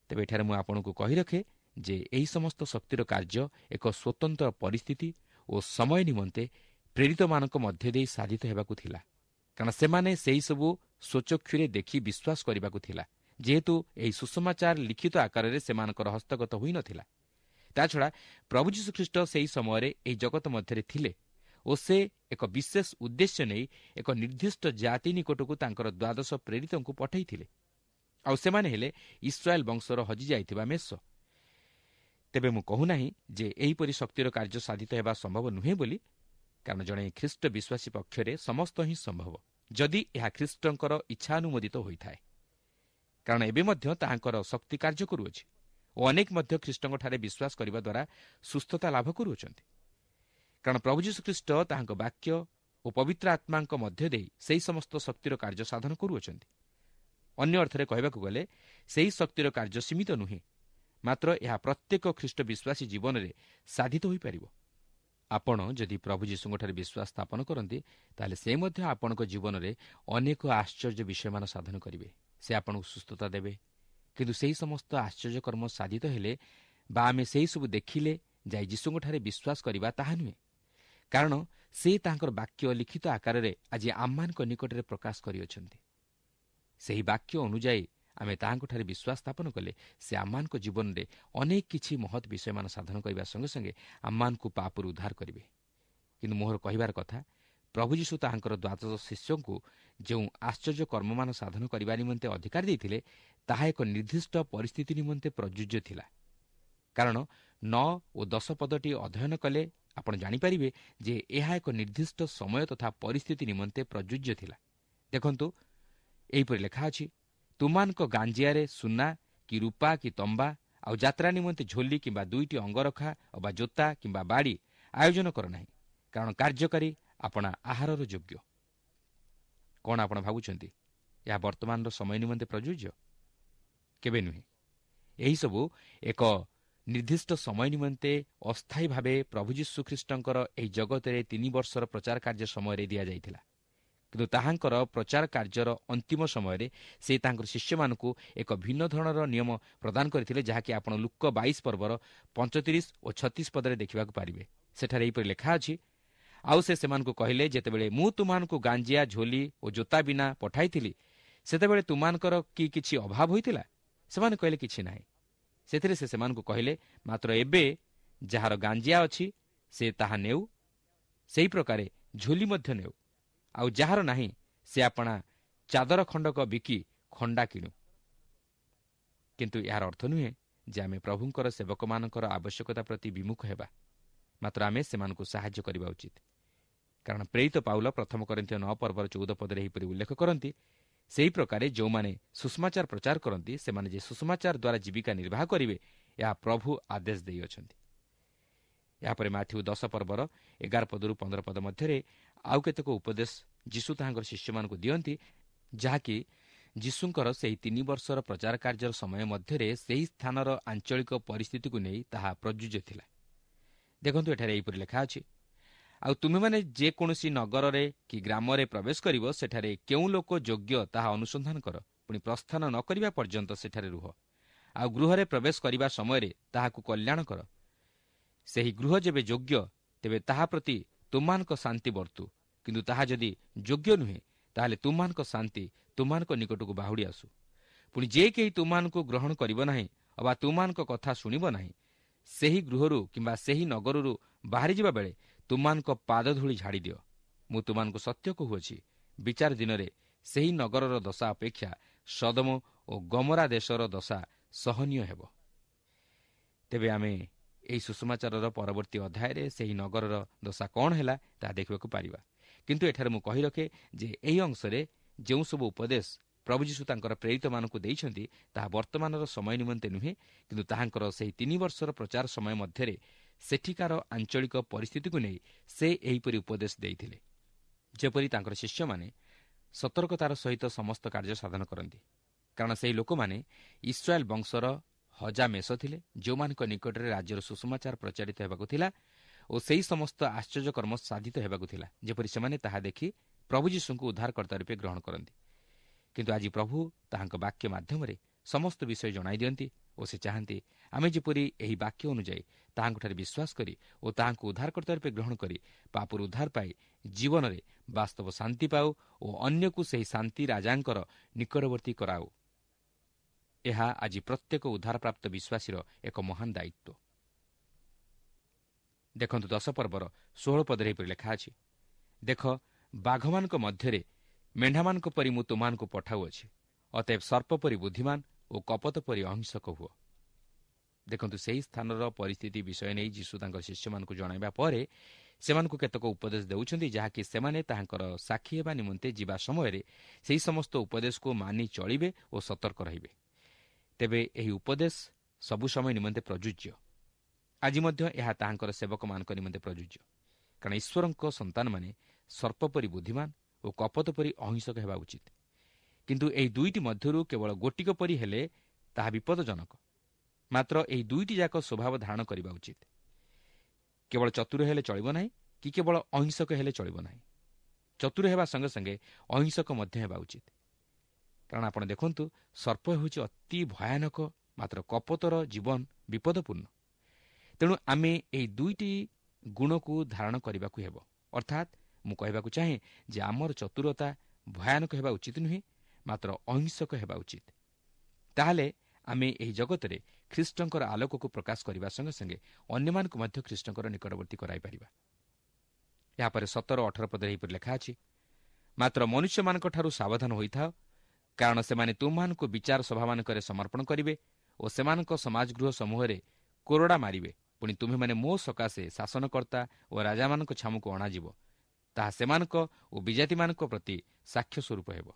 ତେବେ ଏଠାରେ ମୁଁ ଆପଣଙ୍କୁ କହି ରଖେ ଯେ ଏହି ସମସ୍ତ ଶକ୍ତିର କାର୍ଯ୍ୟ ଏକ ସ୍ୱତନ୍ତ୍ର ପରିସ୍ଥିତି ଓ ସମୟ ନିମନ୍ତେ ପ୍ରେରିତମାନଙ୍କ ମଧ୍ୟ ଦେଇ ସାଧିତ ହେବାକୁ ଥିଲା। କାରଣ ସେମାନେ ସେହିସବୁ ସ୍ୱଚକ୍ଷୁରେ ଦେଖି ବିଶ୍ୱାସ କରିବାକୁ ଥିଲା, ଯେହେତୁ ଏହି ସୁସମାଚାର ଲିଖିତ ଆକାରରେ ସେମାନଙ୍କର ହସ୍ତଗତ ହୋଇନଥିଲା। ତାଛଡ଼ା ପ୍ରଭୁ ଯୀଶୁଖ୍ରୀଷ୍ଟ ସେହି ସମୟରେ ଏହି ଜଗତ ମଧ୍ୟରେ ଥିଲେ ଓ ସେ ଏକ ବିଶେଷ ଉଦ୍ଦେଶ୍ୟ ନେଇ ଏକ ନିର୍ଦ୍ଦିଷ୍ଟ ଜାତି ନିକଟକୁ ତାଙ୍କର ଦ୍ୱାଦଶ ପ୍ରେରିତଙ୍କୁ ପଠାଇଥିଲେ। ଆଉ ସେମାନେ ହେଲେ ଇସ୍ରାଏଲ ବଂଶର ହଜିଯାଇଥିବା ମେଷ। ତେବେ ମୁଁ କହୁନାହିଁ ଯେ ଏହିପରି ଶକ୍ତିର କାର୍ଯ୍ୟ ସାଧିତ ହେବା ସମ୍ଭବ ନୁହେଁ ବୋଲି, କାରଣ ଜଣେ ଖ୍ରୀଷ୍ଟ ବିଶ୍ୱାସୀ ପକ୍ଷରେ ସମସ୍ତ ହିଁ ସମ୍ଭବ, ଯଦି ଏହା ଖ୍ରୀଷ୍ଟଙ୍କର ଇଚ୍ଛାନୁମୋଦିତ ହୋଇଥାଏ। କାରଣ ଏବେ ମଧ୍ୟ ତାହାଙ୍କର ଶକ୍ତି କାର୍ଯ୍ୟ କରୁଅଛି ଓ ଅନେକ ମଧ୍ୟ ଖ୍ରୀଷ୍ଟଙ୍କଠାରେ ବିଶ୍ୱାସ କରିବା ଦ୍ୱାରା ସୁସ୍ଥତା ଲାଭ କରୁଅଛନ୍ତି। କାରଣ ପ୍ରଭୁ ଯୀଶୁଖ୍ରୀଷ୍ଟ ତାହାଙ୍କ ବାକ୍ୟ ଓ ପବିତ୍ର ଆତ୍ମାଙ୍କ ମଧ୍ୟ ଦେଇ ସେହି ସମସ୍ତ ଶକ୍ତିର କାର୍ଯ୍ୟ ସାଧନ କରୁଅଛନ୍ତି। ଅନ୍ୟ ଅର୍ଥରେ କହିବାକୁ ଗଲେ ସେହି ଶକ୍ତିର କାର୍ଯ୍ୟ ସୀମିତ ନୁହେଁ, ମାତ୍ର ଏହା ପ୍ରତ୍ୟେକ ଖ୍ରୀଷ୍ଟ ବିଶ୍ୱାସୀ ଜୀବନରେ ସାଧିତ ହୋଇପାରିବ। ଆପଣ ଯଦି ପ୍ରଭୁ ଯୀଶୁଙ୍କଠାରେ ବିଶ୍ୱାସ ସ୍ଥାପନ କରନ୍ତି, ତାହେଲେ ସେ ମଧ୍ୟ ଆପଣଙ୍କ ଜୀବନରେ ଅନେକ ଆଶ୍ଚର୍ଯ୍ୟ ବିଷୟମାନ ସାଧନ କରିବେ। ସେ ଆପଣଙ୍କୁ ସୁସ୍ଥତା ଦେବେ। କିନ୍ତୁ ସେହି ସମସ୍ତ ଆଶ୍ଚର୍ଯ୍ୟ କର୍ମ ସାଧିତ ହେଲେ ବା ଆମେ ସେହିସବୁ ଦେଖିଲେ ଯାଇ ଯୀଶୁଙ୍କଠାରେ ବିଶ୍ୱାସ କରିବା ତାହା ନୁହେଁ, କାରଣ ସେ ତାଙ୍କର ବାକ୍ୟ ଲିଖିତ ଆକାରରେ ଆଜି ଆମମାନଙ୍କ ନିକଟରେ ପ୍ରକାଶ କରିଅଛନ୍ତି। ସେହି ବାକ୍ୟ ଅନୁଯାୟୀ ଆମେ ତାହାଙ୍କଠାରେ ବିଶ୍ୱାସ ସ୍ଥାପନ କଲେ ସେ ଆମମାନଙ୍କ ଜୀବନରେ ଅନେକ କିଛି ମହତ୍ ବିଷୟମାନ ସାଧନ କରିବା ସଙ୍ଗେ ସଙ୍ଗେ ଆମମାନଙ୍କୁ ପାପରୁ ଉଦ୍ଧାର କରିବେ। କିନ୍ତୁ ମୋର କହିବାର କଥା, ପ୍ରଭୁ ଯୀଶୁ ତାହାଙ୍କର ଦ୍ୱାଦଶ ଶିଷ୍ୟଙ୍କୁ ଯେଉଁ ଆଶ୍ଚର୍ଯ୍ୟ କର୍ମମାନ ସାଧନ କରିବା ନିମନ୍ତେ ଅଧିକାର ଦେଇଥିଲେ, ତାହା ଏକ ନିର୍ଦ୍ଦିଷ୍ଟ ପରିସ୍ଥିତି ନିମନ୍ତେ ପ୍ରଯୁଜ୍ୟ ଥିଲା। କାରଣ ନଅ ଓ ଦଶ ପଦଟି ଅଧ୍ୟୟନ କଲେ ଆପଣ ଜାଣିପାରିବେ ଯେ ଏହା ଏକ ନିର୍ଦ୍ଦିଷ୍ଟ ସମୟ ତଥା ପରିସ୍ଥିତି ନିମନ୍ତେ ପ୍ରଯୁଜ୍ୟ ଥିଲା। ଦେଖନ୍ତୁ, ଏହିପରି ଲେଖା ଅଛି, ତୁମାନଙ୍କ ଗାଞ୍ଜିଆରେ ସୁନା କି ରୂପା କି ତମ୍ବା, ଆଉ ଯାତ୍ରା ନିମନ୍ତେ ଝୋଲି କିମ୍ବା ଦୁଇଟି ଅଙ୍ଗରଖା ଅବା ଜୋତା କିମ୍ବା ବାଡ଼ି ଆୟୋଜନ କର ନାହିଁ, କାରଣ କାର୍ଯ୍ୟକାରୀ ଆପଣା ଆହାରର ଯୋଗ୍ୟ। କ'ଣ ଆପଣ ଭାବୁଛନ୍ତି ଏହା ବର୍ତ୍ତମାନର ସମୟ ନିମନ୍ତେ ପ୍ରଯୁଜ୍ୟ? କେବେ ନୁହେଁ। ଏହିସବୁ ଏକ ନିର୍ଦ୍ଦିଷ୍ଟ ସମୟ ନିମନ୍ତେ ଅସ୍ଥାୟୀ ଭାବେ ପ୍ରଭୁ ଯୀଶୁଖ୍ରୀଷ୍ଟଙ୍କର ଏହି ଜଗତରେ ତିନି ବର୍ଷର ପ୍ରଚାର କାର୍ଯ୍ୟ ସମୟରେ ଦିଆଯାଇଥିଲା। କିନ୍ତୁ ତାହାଙ୍କର ପ୍ରଚାର କାର୍ଯ୍ୟର ଅନ୍ତିମ ସମୟରେ ସେ ତାଙ୍କର ଶିଷ୍ୟମାନଙ୍କୁ ଏକ ଭିନ୍ନ ଧରଣର ନିୟମ ପ୍ରଦାନ କରିଥିଲେ, ଯାହାକି ଆପଣ ଲୂକ ବାଇଶ ପର୍ବର ପଞ୍ଚତିରିଶ ଓ ଛତିଶ ପଦରେ ଦେଖିବାକୁ ପାରିବେ। ସେଠାରେ ଏହିପରି ଲେଖା ଅଛି, ଆଉ ସେ ସେମାନଙ୍କୁ କହିଲେ, ଯେତେବେଳେ ମୁଁ ତୁମମାନଙ୍କୁ ଗାଞ୍ଜିଆ, ଝୋଲି ଓ ଜୋତା ବିନା ପଠାଇଥିଲି, ସେତେବେଳେ ତୁମମାନଙ୍କର କି କିଛି ଅଭାବ ହୋଇଥିଲା? ସେମାନେ କହିଲେ, କିଛି ନାହିଁ। ସେଥିରେ ସେ ସେମାନଙ୍କୁ କହିଲେ, ମାତ୍ର ଏବେ ଯାହାର ଗାଞ୍ଜିଆ ଅଛି ସେ ତାହା ନେଉ, ସେହି ପ୍ରକାରେ ଝୋଲି ମଧ୍ୟ ନେଉ, ଆଉ ଯାହାର ନାହିଁ ସେ ଆପଣା ଚାଦର ଖଣ୍ଡକ ବିକି ଖଣ୍ଡା କିଣୁ। କିନ୍ତୁ ଏହାର ଅର୍ଥ ନୁହେଁ ଯେ ଆମେ ପ୍ରଭୁଙ୍କର ସେବକମାନଙ୍କର ଆବଶ୍ୟକତା ପ୍ରତି ବିମୁଖ ହେବା, ମାତ୍ର ଆମେ ସେମାନଙ୍କୁ ସାହାଯ୍ୟ କରିବା ଉଚିତ। କାରଣ ପ୍ରେରିତ ପାଉଲ ପ୍ରଥମ କରିନ୍ଥୀୟ ନଅ ପର୍ବର ଚଉଦ ପଦରେ ଏହିପରି ଉଲ୍ଲେଖ କରନ୍ତି, ସେହି ପ୍ରକାରେ ଯେଉଁମାନେ ସୁସମାଚାର ପ୍ରଚାର କରନ୍ତି, ସେମାନେ ଯେ ସୁସମାଚାର ଦ୍ୱାରା ଜୀବିକା ନିର୍ବାହ କରିବେ, ଏହା ପ୍ରଭୁ ଆଦେଶ ଦେଇଅଛନ୍ତି। ଏହାପରେ ମାଥିଉ ଦଶ ପର୍ବର ଏଗାର ପଦରୁ ପନ୍ଦର ପଦ ମଧ୍ୟରେ ଆଉ କେତେକ ଉପଦେଶ ଯୀଶୁ ତାହାଙ୍କର ଶିଷ୍ୟମାନଙ୍କୁ ଦିଅନ୍ତି, ଯାହାକି ଯୀଶୁଙ୍କର ସେହି ତିନି ବର୍ଷର ପ୍ରଚାର କାର୍ଯ୍ୟର ସମୟ ମଧ୍ୟରେ ସେହି ସ୍ଥାନର ଆଞ୍ଚଳିକ ପରିସ୍ଥିତିକୁ ନେଇ ତାହା ପ୍ରଯୁଜ୍ୟ ଥିଲା। ଦେଖନ୍ତୁ, ଏଠାରେ ଏହିପରି ଲେଖା ଅଛି, ଆଉ ତୁମେମାନେ ଯେକୌଣସି ନଗରରେ କି ଗ୍ରାମରେ ପ୍ରବେଶ କରିବ, ସେଠାରେ କେଉଁ ଲୋକ ଯୋଗ୍ୟ ତାହା ଅନୁସନ୍ଧାନ କର, ପୁଣି ପ୍ରସ୍ଥାନ ନ କରିବା ପର୍ଯ୍ୟନ୍ତ ସେଠାରେ ରୁହ। ଆଉ ଗୃହରେ ପ୍ରବେଶ କରିବା ସମୟରେ ତାହାକୁ କଲ୍ୟାଣ କର। ସେହି ଗୃହ ଯେବେ ଯୋଗ୍ୟ, ତେବେ ତାହା ପ୍ରତି ତୁମମାନଙ୍କ ଶାନ୍ତି ବର୍ତ୍ତୁ, କିନ୍ତୁ ତାହା ଯଦି ଯୋଗ୍ୟ ନୁହେଁ, ତାହେଲେ ତୁମମାନଙ୍କ ଶାନ୍ତି ତୁମମାନଙ୍କ ନିକଟକୁ ବାହୁଡ଼ି ଆସୁ। ପୁଣି ଯେ କେହି ତୁମମାନଙ୍କୁ ଗ୍ରହଣ କରିବ ନାହିଁ ଅବା ତୁମମାନଙ୍କ କଥା ଶୁଣିବ ନାହିଁ, ସେହି ଗୃହରୁ କିମ୍ବା ସେହି ନଗରରୁ ବାହାରିଯିବା ବେଳେ ତୁମମାନଙ୍କ ପାଦଧୂଳି ଝାଡ଼ିଦିଅ। ମୁଁ ତୁମମାନଙ୍କୁ ସତ୍ୟ କହୁଅଛି, ବିଚାର ଦିନରେ ସେହି ନଗରର ଦଶା ଅପେକ୍ଷା ସଦମ ଓ ଗମରା ଦେଶର ଦଶା ସହନୀୟ ହେବ। ତେବେ ଆମେ ଏହି ସୁସମାଚାରର ପରବର୍ତ୍ତୀ ଅଧ୍ୟାୟରେ ସେହି ନଗରର ଦଶା କ'ଣ ହେଲା ତାହା ଦେଖିବାକୁ ପାରିବା। କିନ୍ତୁ ଏଠାରେ ମୁଁ କହି ରଖେ ଯେ ଏହି ଅଂଶରେ ଯେଉଁ ସବୁ ଉପଦେଶ ପ୍ରଭୁ ଯୀଶୁ ତାଙ୍କର ପ୍ରେରିତମାନଙ୍କୁ ଦେଇଛନ୍ତି, ତାହା ବର୍ତ୍ତମାନର ସମୟ ନିମନ୍ତେ ନୁହେଁ, କିନ୍ତୁ ତାହାଙ୍କର ସେହି ତିନି ବର୍ଷର ପ୍ରଚାର ସମୟ ମଧ୍ୟରେ ସେଠିକାର ଆଞ୍ଚଳିକ ପରିସ୍ଥିତିକୁ ନେଇ ସେ ଏହିପରି ଉପଦେଶ ଦେଇଥିଲେ, ଯେପରି ତାଙ୍କର ଶିଷ୍ୟମାନେ ସତର୍କତାର ସହିତ ସମସ୍ତ କାର୍ଯ୍ୟ ସାଧନ କରନ୍ତି। କାରଣ ସେହି ଲୋକମାନେ ଇସ୍ରାଏଲ ବଂଶର ହଜା ମେଷ ଥିଲେ, ଯେଉଁମାନଙ୍କ ନିକଟରେ ରାଜ୍ୟର ସୁସମାଚାର ପ୍ରଚାରିତ ହେବାକୁ ଥିଲା ଓ ସେହି ସମସ୍ତ ଆଶ୍ଚର୍ଯ୍ୟକର୍ମ ସାଧିତ ହେବାକୁ ଥିଲା, ଯେପରି ସେମାନେ ତାହା ଦେଖି ପ୍ରଭୁ ଯୀଶୁଙ୍କୁ ଉଦ୍ଧାରକର୍ତ୍ତା ରୂପେ ଗ୍ରହଣ କରନ୍ତି। କିନ୍ତୁ ଆଜି ପ୍ରଭୁ ତାହାଙ୍କ ବାକ୍ୟ ମାଧ୍ୟମରେ ସମସ୍ତ ବିଷୟ ଜଣାଇ ଦିଅନ୍ତି ଓ ସେ ଚାହାନ୍ତି ଆମେ ଯେପରି ଏହି ବାକ୍ୟ ଅନୁଯାୟୀ ତାହାଙ୍କଠାରେ ବିଶ୍ୱାସ କରି ଓ ତାହାଙ୍କୁ ଉଦ୍ଧାରକର୍ତ୍ତା ରୂପେ ଗ୍ରହଣ କରି ପାପରୁ ଉଦ୍ଧାର ପାଇ ଜୀବନରେ ବାସ୍ତବ ଶାନ୍ତି ପାଉ ଓ ଅନ୍ୟକୁ ସେହି ଶାନ୍ତି ରାଜାଙ୍କର ନିକଟବର୍ତ୍ତୀ କରାଉ। ଏହା ଆଜି ପ୍ରତ୍ୟେକ ଉଦ୍ଧାରପ୍ରାପ୍ତ ବିଶ୍ୱାସୀର ଏକ ମହାନ ଦାୟିତ୍ୱ। ଦେଖନ୍ତୁ ଦଶ ପର୍ବର ଷୋହଳ ପଦରେ ଏହିପରି ଲେଖା ଅଛି, ଦେଖ, ବାଘମାନଙ୍କ ମଧ୍ୟରେ ମେଣ୍ଢାମାନଙ୍କ ପରି ମୁଁ ତୁମମାନଙ୍କୁ ପଠାଉଅଛି, ଅତଏବ ସର୍ପ ପରି ବୁଦ୍ଧିମାନ ଓ କପତ ପରି ଅହିଂସକ ହୁଅ। ଦେଖନ୍ତୁ, ସେହି ସ୍ଥାନର ପରିସ୍ଥିତି ବିଷୟ ନେଇ ଯୀଶୁ ତାଙ୍କର ଶିଷ୍ୟମାନଙ୍କୁ ଜଣାଇବା ପରେ ସେମାନଙ୍କୁ କେତେକ ଉପଦେଶ ଦେଉଛନ୍ତି, ଯାହାକି ସେମାନେ ତାହାଙ୍କର ସାକ୍ଷୀ ହେବା ନିମନ୍ତେ ଯିବା ସମୟରେ ସେହି ସମସ୍ତ ଉପଦେଶକୁ ମାନି ଚଳିବେ ଓ ସତର୍କ ରହିବେ। ତେବେ ଏହି ଉପଦେଶ ସବୁ ସମୟ ନିମନ୍ତେ ପ୍ରଯୁଜ୍ୟ। ଆଜି ମଧ୍ୟ ଏହା ତାହାଙ୍କର ସେବକମାନଙ୍କ ନିମନ୍ତେ ପ୍ରଯୁଜ୍ୟ, କାରଣ ଈଶ୍ୱରଙ୍କ ସନ୍ତାନମାନେ ସର୍ପ ପରି ବୁଦ୍ଧିମାନ ଓ କପତ ପରି ଅହିଂସକ ହେବା ଉଚିତ। କିନ୍ତୁ ଏହି ଦୁଇଟି ମଧ୍ୟରୁ କେବଳ ଗୋଟିକ ପରି ହେଲେ ତାହା ବିପଦଜନକ। ମାତ୍ର ଏହି ଦୁଇଟି ଯାକ ସ୍ୱଭାବ ଧାରଣ କରିବା ଉଚିତ। କେବଳ ଚତୁର ହେଲେ ଚଳିବ ନାହିଁ କି କେବଳ ଅହିଂସକ ହେଲେ ଚଳିବ ନାହିଁ। ଚତୁର ହେବା ସଙ୍ଗେ ସଙ୍ଗେ ଅହିଂସକ ମଧ୍ୟ ହେବା ଉଚିତ। କାରଣ ଆପଣ ଦେଖନ୍ତୁ, ସର୍ପ ହେଉଛି ଅତି ଭୟାନକ, ମାତ୍ର କପତର ଜୀବନ ବିପଦପୂର୍ଣ୍ଣ। ତେଣୁ ଆମେ ଏହି ଦୁଇଟି ଗୁଣକୁ ଧାରଣ କରିବାକୁ ହେବ। ଅର୍ଥାତ୍ ମୁଁ କହିବାକୁ ଚାହେଁ ଯେ ଆମର ଚତୁରତା ଭୟାନକ ହେବା ଉଚିତ ନୁହେଁ, ମାତ୍ର ଅହିଂସକ ହେବା ଉଚିତ। ତାହେଲେ ଆମେ ଏହି ଜଗତରେ ଖ୍ରୀଷ୍ଟଙ୍କର ଆଲୋକକୁ ପ୍ରକାଶ କରିବା ସଙ୍ଗେ ସଙ୍ଗେ ଅନ୍ୟମାନଙ୍କୁ ମଧ୍ୟ ଖ୍ରୀଷ୍ଟଙ୍କର ନିକଟବର୍ତ୍ତୀ କରାଇପାରିବା। ଏହାପରେ ସତର ଅଠର ପଦରେ ଏହିପରି ଲେଖା ଅଛି, ମାତ୍ର ମନୁଷ୍ୟମାନଙ୍କଠାରୁ ସାବଧାନ ହୋଇଥାଅ, କାରଣ ସେମାନେ ତୁମମାନଙ୍କୁ ବିଚାର ସଭାମାନଙ୍କରେ ସମର୍ପଣ କରିବେ ଓ ସେମାନଙ୍କ ସମାଜଗୃହ ସମୂହରେ କୋରଡ଼ା ମାରିବେ। ପୁଣି ତୁମ୍ଭେମାନେ ମୋ ସକାଶେ ଶାସନକର୍ତ୍ତା ଓ ରାଜାମାନଙ୍କ ଛାମୁକୁ ଅଣାଯିବ, ତାହା ସେମାନଙ୍କ ଓ ବିଜାତିମାନଙ୍କ ପ୍ରତି ସାକ୍ଷ୍ୟ ସ୍ୱରୂପ ହେବ।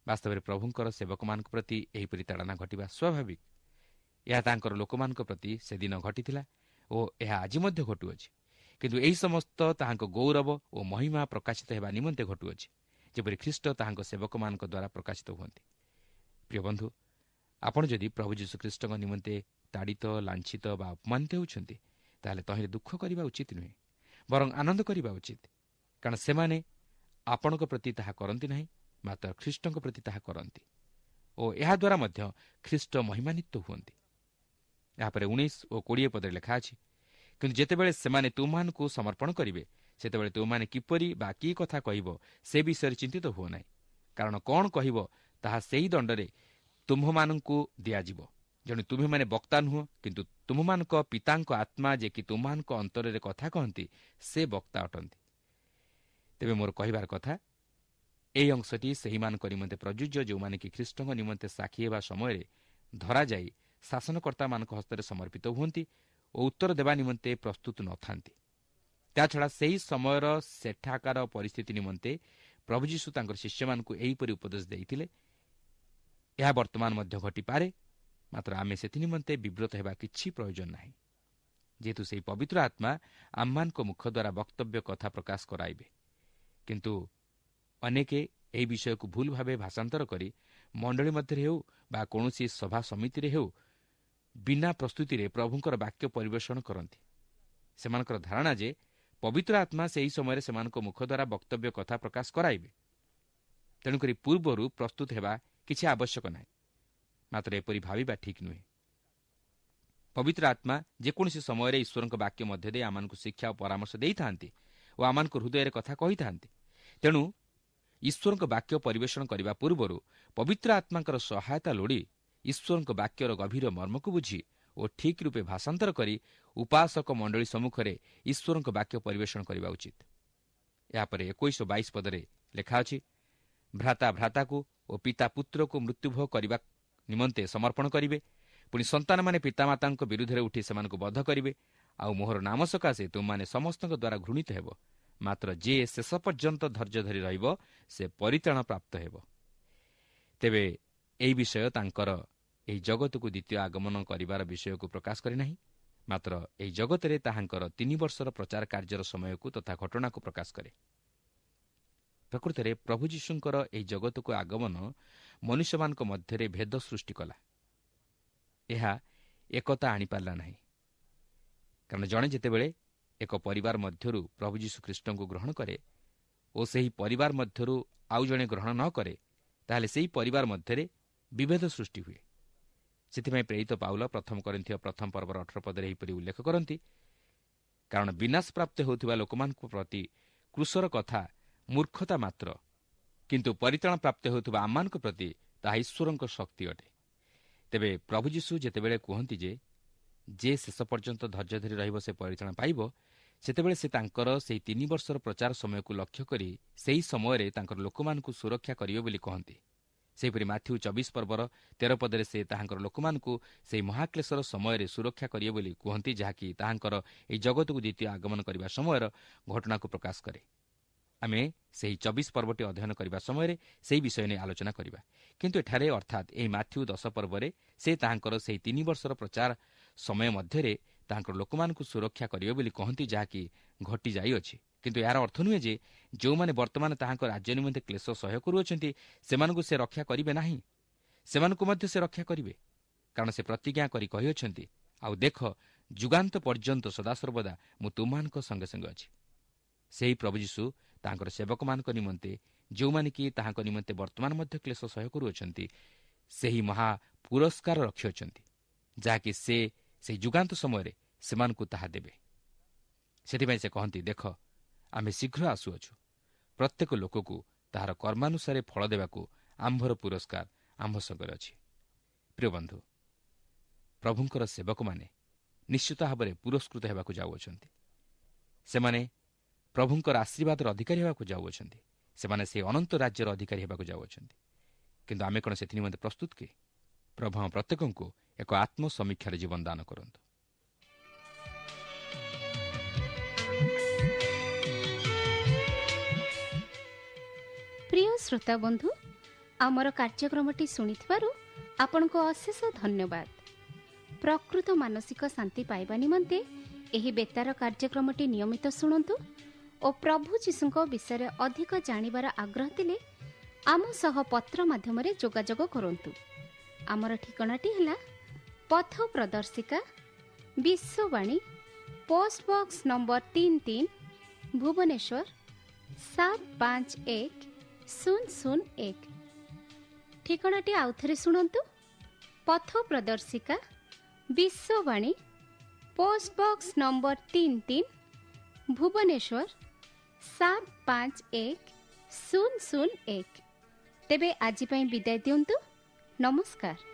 ବାସ୍ତବରେ ପ୍ରଭୁଙ୍କର ସେବକମାନଙ୍କ ପ୍ରତି ଏହିପରି ତାଡ଼ନା ଘଟିବା ସ୍ୱାଭାବିକ। ଏହା ତାଙ୍କର ଲୋକମାନଙ୍କ ପ୍ରତି ସେଦିନ ଘଟିଥିଲା ଓ ଏହା ଆଜି ମଧ୍ୟ ଘଟୁଅଛି। କିନ୍ତୁ ଏହି ସମସ୍ତ ତାହାଙ୍କ ଗୌରବ ଓ ମହିମା ପ୍ରକାଶିତ ହେବା ନିମନ୍ତେ ଘଟୁଅଛି, ଯେପରି ଖ୍ରୀଷ୍ଟ ତାହାଙ୍କ ସେବକମାନଙ୍କ ଦ୍ୱାରା ପ୍ରକାଶିତ ହୁଅନ୍ତି। ପ୍ରିୟ ବନ୍ଧୁ, ଆପଣ ଯଦି ପ୍ରଭୁ ଯୀଶୁଖ୍ରୀଷ୍ଟଙ୍କ ନିମନ୍ତେ ତାଡ଼ିତ, ଲାଞ୍ଛିତ ବା ଅପମାନିତ ହେଉଛନ୍ତି, ତାହେଲେ ତହିଁରେ ଦୁଃଖ କରିବା ଉଚିତ ନୁହେଁ, ବରଂ ଆନନ୍ଦ କରିବା ଉଚିତ। କାରଣ ସେମାନେ ଆପଣଙ୍କ ପ୍ରତି ତାହା କରନ୍ତି ନାହିଁ, ମାତ୍ର ଖ୍ରୀଷ୍ଟଙ୍କ ପ୍ରତି ତାହା କରନ୍ତି ଓ ଏହାଦ୍ୱାରା ମଧ୍ୟ ଖ୍ରୀଷ୍ଟ ମହିମାନ୍ୱିତ ହୁଅନ୍ତି। ଏହାପରେ ଉଣେଇଶ ଓ କୋଡ଼ିଏ ପଦରେ ଲେଖା ଅଛି, କିନ୍ତୁ ଯେତେବେଳେ ସେମାନେ ତୁମମାନଙ୍କୁ ସମର୍ପଣ କରିବେ, ସେତେବେଳେ ତୁମମାନେ କିପରି ବା କି କଥା କହିବ ସେ ବିଷୟରେ ଚିନ୍ତିତ ହୁଅ ନାହିଁ, କାରଣ କ'ଣ କହିବ ତାହା ସେହି ଦଣ୍ଡରେ ତୁମ୍ଭମାନଙ୍କୁ ଦିଆଯିବ। ଯେଣୁ ତୁମ୍ଭେମାନେ ବକ୍ତା ନୁହଁ, କିନ୍ତୁ ତୁମ୍ଭମାନଙ୍କ ପିତାଙ୍କ ଆତ୍ମା ଯେ କି ତୁମ୍ଭମାନଙ୍କ ଅନ୍ତରରେ କଥା କହନ୍ତି, ସେ ବକ୍ତା ଅଟନ୍ତି। ତେବେ ମୋର କହିବାର କଥା, ଏହି ଅଂଶଟି ସେହିମାନଙ୍କ ନିମନ୍ତେ ପ୍ରଯୁଜ୍ୟ ଯେଉଁମାନେ କି ଖ୍ରୀଷ୍ଟଙ୍କ ନିମନ୍ତେ ସାକ୍ଷୀ ହେବା ସମୟରେ ଧରାଯାଇ ଶାସନକର୍ତ୍ତାମାନଙ୍କ ହସ୍ତରେ ସମର୍ପିତ ହୁଅନ୍ତି ଓ ଉତ୍ତର ଦେବା ନିମନ୍ତେ ପ୍ରସ୍ତୁତ ନଥାନ୍ତି। ତାଛଡ଼ା ସେହି ସମୟର ସେଠାକାର ପରିସ୍ଥିତି ନିମନ୍ତେ ପ୍ରଭୁ ଯୀଶୁ ତାଙ୍କର ଶିଷ୍ୟମାନଙ୍କୁ ଏହିପରି ଉପଦେଶ ଦେଇଥିଲେ। ଏହା ବର୍ତ୍ତମାନ ମଧ୍ୟ ଘଟିପାରେ, ମାତ୍ର ଆମେ ସେଥି ନିମନ୍ତେ ବିବ୍ରତ ହେବା କିଛି ପ୍ରୟୋଜନ ନାହିଁ, ଯେହେତୁ ସେହି ପବିତ୍ର ଆତ୍ମା ଆମମାନଙ୍କ ମୁଖ ଦ୍ୱାରା ବକ୍ତବ୍ୟ କଥା ପ୍ରକାଶ କରାଇବେ। କିନ୍ତୁ ଅନେକେ ଏହି ବିଷୟକୁ ଭୁଲ ଭାବେ ଭାଷାନ୍ତର କରି ମଣ୍ଡଳୀ ମଧ୍ୟରେ ହେଉ ବା କୌଣସି ସଭା ସମିତିରେ ହେଉ ବିନା ପ୍ରସ୍ତୁତିରେ ପ୍ରଭୁଙ୍କର ବାକ୍ୟ ପରିବେଷଣ କରନ୍ତି। ସେମାନଙ୍କର ଧାରଣା ଯେ ପବିତ୍ର ଆତ୍ମା ସେହି ସମୟରେ ସେମାନଙ୍କ ମୁଖ ଦ୍ୱାରା ବକ୍ତବ୍ୟ କଥା ପ୍ରକାଶ କରାଇବେ। ତେଣୁକରି ପୂର୍ବରୁ ପ୍ରସ୍ତୁତ ହେବା କିଛି ଆବଶ୍ୟକ ନାହିଁ। ମାତ୍ର ଏପରି ଭାବିବା ଠିକ୍ ନୁହେଁ। ପବିତ୍ର ଆତ୍ମା ଯେକୌଣସି ସମୟରେ ଈଶ୍ୱରଙ୍କ ବାକ୍ୟ ମଧ୍ୟ ଦେଇ ଆମମାନଙ୍କୁ ଶିକ୍ଷା ଓ ପରାମର୍ଶ ଦେଇଥାନ୍ତି ଓ ଆମମାନଙ୍କ ହୃଦୟରେ କଥା କହିଥାନ୍ତି। ତେଣୁ ଈଶ୍ୱରଙ୍କ ବାକ୍ୟ ପରିବେଷଣ କରିବା ପୂର୍ବରୁ ପବିତ୍ର ଆତ୍ମାଙ୍କର ସହାୟତା ଲୋଡ଼ି ଈଶ୍ୱରଙ୍କ ବାକ୍ୟର ଗଭୀର ମର୍ମକୁ ବୁଝି ଓ ଠିକ୍ ରୂପେ ଭାଷାନ୍ତର କରି ଉପାସକ ମଣ୍ଡଳୀ ସମ୍ମୁଖରେ ଈଶ୍ୱରଙ୍କ ବାକ୍ୟ ପରିବେଷଣ କରିବା ଉଚିତ। ଏହାପରେ ଏକୋଇଶ ଓ ବାଇଶ ପଦରେ ଲେଖା ଅଛି, ଭ୍ରାତା ଭ୍ରାତାକୁ ଓ ପିତା ପୁତ୍ରକୁ ମୃତ୍ୟୁଭୋଗ କରିବା ନିମନ୍ତେ ସମର୍ପଣ କରିବେ, ପୁଣି ସନ୍ତାନମାନେ ପିତାମାତାଙ୍କ ବିରୁଦ୍ଧରେ ଉଠି ସେମାନଙ୍କୁ ବଧ କରିବେ, ଆଉ ମୋହର ନାମ ସକାଶେ ତୁମମାନେ ସମସ୍ତଙ୍କ ଦ୍ୱାରା ଘୃଣିତ ହେବ। ମାତ୍ର ଯିଏ ଶେଷ ପର୍ଯ୍ୟନ୍ତ ଧୈର୍ଯ୍ୟ ଧରି ରହିବ ସେ ପରିତ୍ରାଣ ପ୍ରାପ୍ତ ହେବ। ତେବେ ଏହି ବିଷୟ ତାଙ୍କର ଏହି ଜଗତକୁ ଦ୍ୱିତୀୟ ଆଗମନ କରିବାର ବିଷୟକୁ ପ୍ରକାଶ କରେ ନାହିଁ, ମାତ୍ର ଏହି ଜଗତରେ ତାହାଙ୍କର ତିନି ବର୍ଷର ପ୍ରଚାର କାର୍ଯ୍ୟର ସମୟକୁ ତଥା ଘଟଣାକୁ ପ୍ରକାଶ କରେ। ପ୍ରକୃତରେ ପ୍ରଭୁ ଯୀଶୁଙ୍କର ଏହି ଜଗତକୁ ଆଗମନ ମନୁଷ୍ୟମାନଙ୍କ ମଧ୍ୟରେ ଭେଦ ସୃଷ୍ଟି କଲା। ଏହା ଏକତା ଆଣିପାରିଲା ନାହିଁ, କାରଣ ଜଣେ ଯେତେବେଳେ ଏକ ପରିବାର ମଧ୍ୟରୁ ପ୍ରଭୁ ଯୀଶୁ ଖ୍ରୀଷ୍ଟଙ୍କୁ ଗ୍ରହଣ କରେ ଓ ସେହି ପରିବାର ମଧ୍ୟରୁ ଆଉ ଜଣେ ଗ୍ରହଣ ନ କରେ, ତାହେଲେ ସେହି ପରିବାର ମଧ୍ୟରେ ବିଭେଦ ସୃଷ୍ଟି ହୁଏ। ସେଥିପାଇଁ ପ୍ରେରିତ ପାଉଲ ପ୍ରଥମ କରିନ୍ଥୀୟ ପ୍ରଥମ ପର୍ବର ଅଠର ପଦରେ ଏହିପରି ଉଲ୍ଲେଖ କରନ୍ତି, କାରଣ ବିନାଶ ପ୍ରାପ୍ତ ହେଉଥିବା ଲୋକମାନଙ୍କ ପ୍ରତି କ୍ରୁଶର କଥା ମୂର୍ଖତା ମାତ୍ର, କିନ୍ତୁ ପରିତ୍ରାଣ ପ୍ରାପ୍ତ ହେଉଥିବା ଆମମାନଙ୍କ ପ୍ରତି ତାହା ଈଶ୍ୱରଙ୍କ ଶକ୍ତି ଅଟେ। ତେବେ ପ୍ରଭୁ ଯୀଶୁ ଯେତେବେଳେ କୁହନ୍ତି ଯେ ଯେ ଶେଷ ପର୍ଯ୍ୟନ୍ତ ଧୈର୍ଯ୍ୟ ଧରି ରହିବ ସେ ପରିତ୍ରାଣ ପାଇବ, ସେତେବେଳେ ସେ ତାଙ୍କର ସେହି ତିନି ବର୍ଷର ପ୍ରଚାର ସମୟକୁ ଲକ୍ଷ୍ୟ କରି ସେହି ସମୟରେ ତାଙ୍କର ଲୋକମାନଙ୍କୁ ସୁରକ୍ଷା କରିବେ ବୋଲି କହନ୍ତି। ସେହିପରି ମାଥ୍ୟୁ ଚବିଶ ପର୍ବର ତେର ପଦରେ ସେ ତାହାଙ୍କର ଲୋକମାନଙ୍କୁ ସେହି ମହାକ୍ଲେଶର ସମୟରେ ସୁରକ୍ଷା କରିବେ ବୋଲି କୁହନ୍ତି, ଯାହାକି ତାହାଙ୍କର ଏହି ଜଗତକୁ ଦ୍ୱିତୀୟ ଆଗମନ କରିବା ସମୟର ଘଟଣାକୁ ପ୍ରକାଶ କରେ। ଆମେ ସେହି ଚବିଶ ପର୍ବଟି ଅଧ୍ୟୟନ କରିବା ସମୟରେ ସେହି ବିଷୟ ନେଇ ଆଲୋଚନା କରିବା। କିନ୍ତୁ ଏଠାରେ ଅର୍ଥାତ୍ ଏହି ମାଥ୍ୟୁ ଦଶ ପର୍ବରେ ସେ ତାହାଙ୍କର ସେହି ତିନି ବର୍ଷର ପ୍ରଚାର ସମୟ ମଧ୍ୟରେ ତାହାଙ୍କର ଲୋକମାନଙ୍କୁ ସୁରକ୍ଷା କରିବେ ବୋଲି କହନ୍ତି, ଯାହାକି ଘଟିଯାଇଅଛି। କିନ୍ତୁ ଏହାର ଅର୍ଥ ନୁହେଁ ଯେ ଯେଉଁମାନେ ବର୍ତ୍ତମାନ ତାହାଙ୍କ ରାଜ୍ୟ ନିମନ୍ତେ କ୍ଲେଶ ସହ୍ୟ କରୁଅଛନ୍ତି ସେମାନଙ୍କୁ ସେ ରକ୍ଷା କରିବେ ନାହିଁ। ସେମାନଙ୍କୁ ମଧ୍ୟ ସେ ରକ୍ଷା କରିବେ, କାରଣ ସେ ପ୍ରତିଜ୍ଞା କରି କହିଅଛନ୍ତି, ଆଉ ଦେଖ, ଯୁଗାନ୍ତ ପର୍ଯ୍ୟନ୍ତ ସଦାସର୍ବଦା ମୁଁ ତୁମମାନଙ୍କ ସଙ୍ଗେ ସଙ୍ଗେ ଅଛି। ସେହି ପ୍ରଭୁ ଯୀଶୁ ତାହାଙ୍କର ସେବକମାନଙ୍କ ନିମନ୍ତେ, ଯେଉଁମାନେ କି ତାହାଙ୍କ ନିମନ୍ତେ ବର୍ତ୍ତମାନ ମଧ୍ୟ କ୍ଲେଶ ସହ୍ୟ କରୁଅଛନ୍ତି, ସେହି ମହା ପୁରସ୍କାର ରଖିଅଛନ୍ତି, ଯାହାକି ସେ ସେହି ଯୁଗାନ୍ତ ସମୟରେ ସେମାନଙ୍କୁ ତାହା ଦେବେ। ସେଥିପାଇଁ ସେ କହନ୍ତି, ଦେଖ, ଆମେ ଶୀଘ୍ର ଆସୁଅଛୁ, ପ୍ରତ୍ୟେକ ଲୋକକୁ ତାହାର କର୍ମାନୁସାରେ ଫଳ ଦେବାକୁ ଆମ୍ଭର ପୁରସ୍କାର ଆମ୍ଭ ସଙ୍ଗରେ ଅଛି। ପ୍ରିୟ ବନ୍ଧୁ, ପ୍ରଭୁଙ୍କର ସେବକମାନେ ନିଶ୍ଚିତ ଭାବରେ ପୁରସ୍କୃତ ହେବାକୁ ଯାଉଅଛନ୍ତି। ସେମାନେ ପ୍ରଭୁଙ୍କର ଆଶୀର୍ବାଦର ଅଧିକାରୀ ହେବାକୁ ଯାଉଅଛନ୍ତି। ସେମାନେ ସେହି ଅନନ୍ତ ରାଜ୍ୟର ଅଧିକାରୀ ହେବାକୁ ଯାଉଅଛନ୍ତି। କିନ୍ତୁ ଆମେ କ'ଣ ସେଥି ନିମନ୍ତେ ପ୍ରସ୍ତୁତ କି? ପ୍ରଭୁ ଆମ ପ୍ରତ୍ୟେକଙ୍କୁ ଏକ ଆତ୍ମସମୀକ୍ଷାର ଜୀବନ ଦାନ କରନ୍ତୁ। ପ୍ରିୟ ଶ୍ରୋତା ବନ୍ଧୁ, ଆମର କାର୍ଯ୍ୟକ୍ରମଟି ଶୁଣିଥିବାରୁ ଆପଣଙ୍କୁ ଅଶେଷ ଧନ୍ୟବାଦ। ପ୍ରକୃତ ମାନସିକ ଶାନ୍ତି ପାଇବା ନିମନ୍ତେ ଏହି ବେତାର କାର୍ଯ୍ୟକ୍ରମଟି ନିୟମିତ ଶୁଣନ୍ତୁ ଓ ପ୍ରଭୁ ଯୀଶୁଙ୍କ ବିଷୟରେ ଅଧିକ ଜାଣିବାର ଆଗ୍ରହ ଥିଲେ ଆମ ସହ ପତ୍ର ମାଧ୍ୟମରେ ଯୋଗାଯୋଗ କରନ୍ତୁ। ଆମର ଠିକଣାଟି ହେଲା ପଥ ପ୍ରଦର୍ଶିକା, ବିଶ୍ୱବାଣୀ, ପୋଷ୍ଟ ବକ୍ସ ନମ୍ବର ତିନି ତିନି, ଭୁବନେଶ୍ୱର ସାତ ପାଞ୍ଚ ଏକ ଶୂନ ଶୂନ ଏକ। ଠିକଣାଟି ଆଉଥରେ ଶୁଣନ୍ତୁ, ପଥ ପ୍ରଦର୍ଶିକା, ବିଶ୍ୱବାଣୀ, ପୋଷ୍ଟ ବକ୍ସ ନମ୍ବର ତିନି ତିନି, ଭୁବନେଶ୍ୱର ସାତ ପାଞ୍ଚ ଏକ ଶୂନ ଶୂନ ଏକ। ତେବେ ଆଜି ପାଇଁ ବିଦାୟ ଦିଅନ୍ତୁ। ନମସ୍କାର।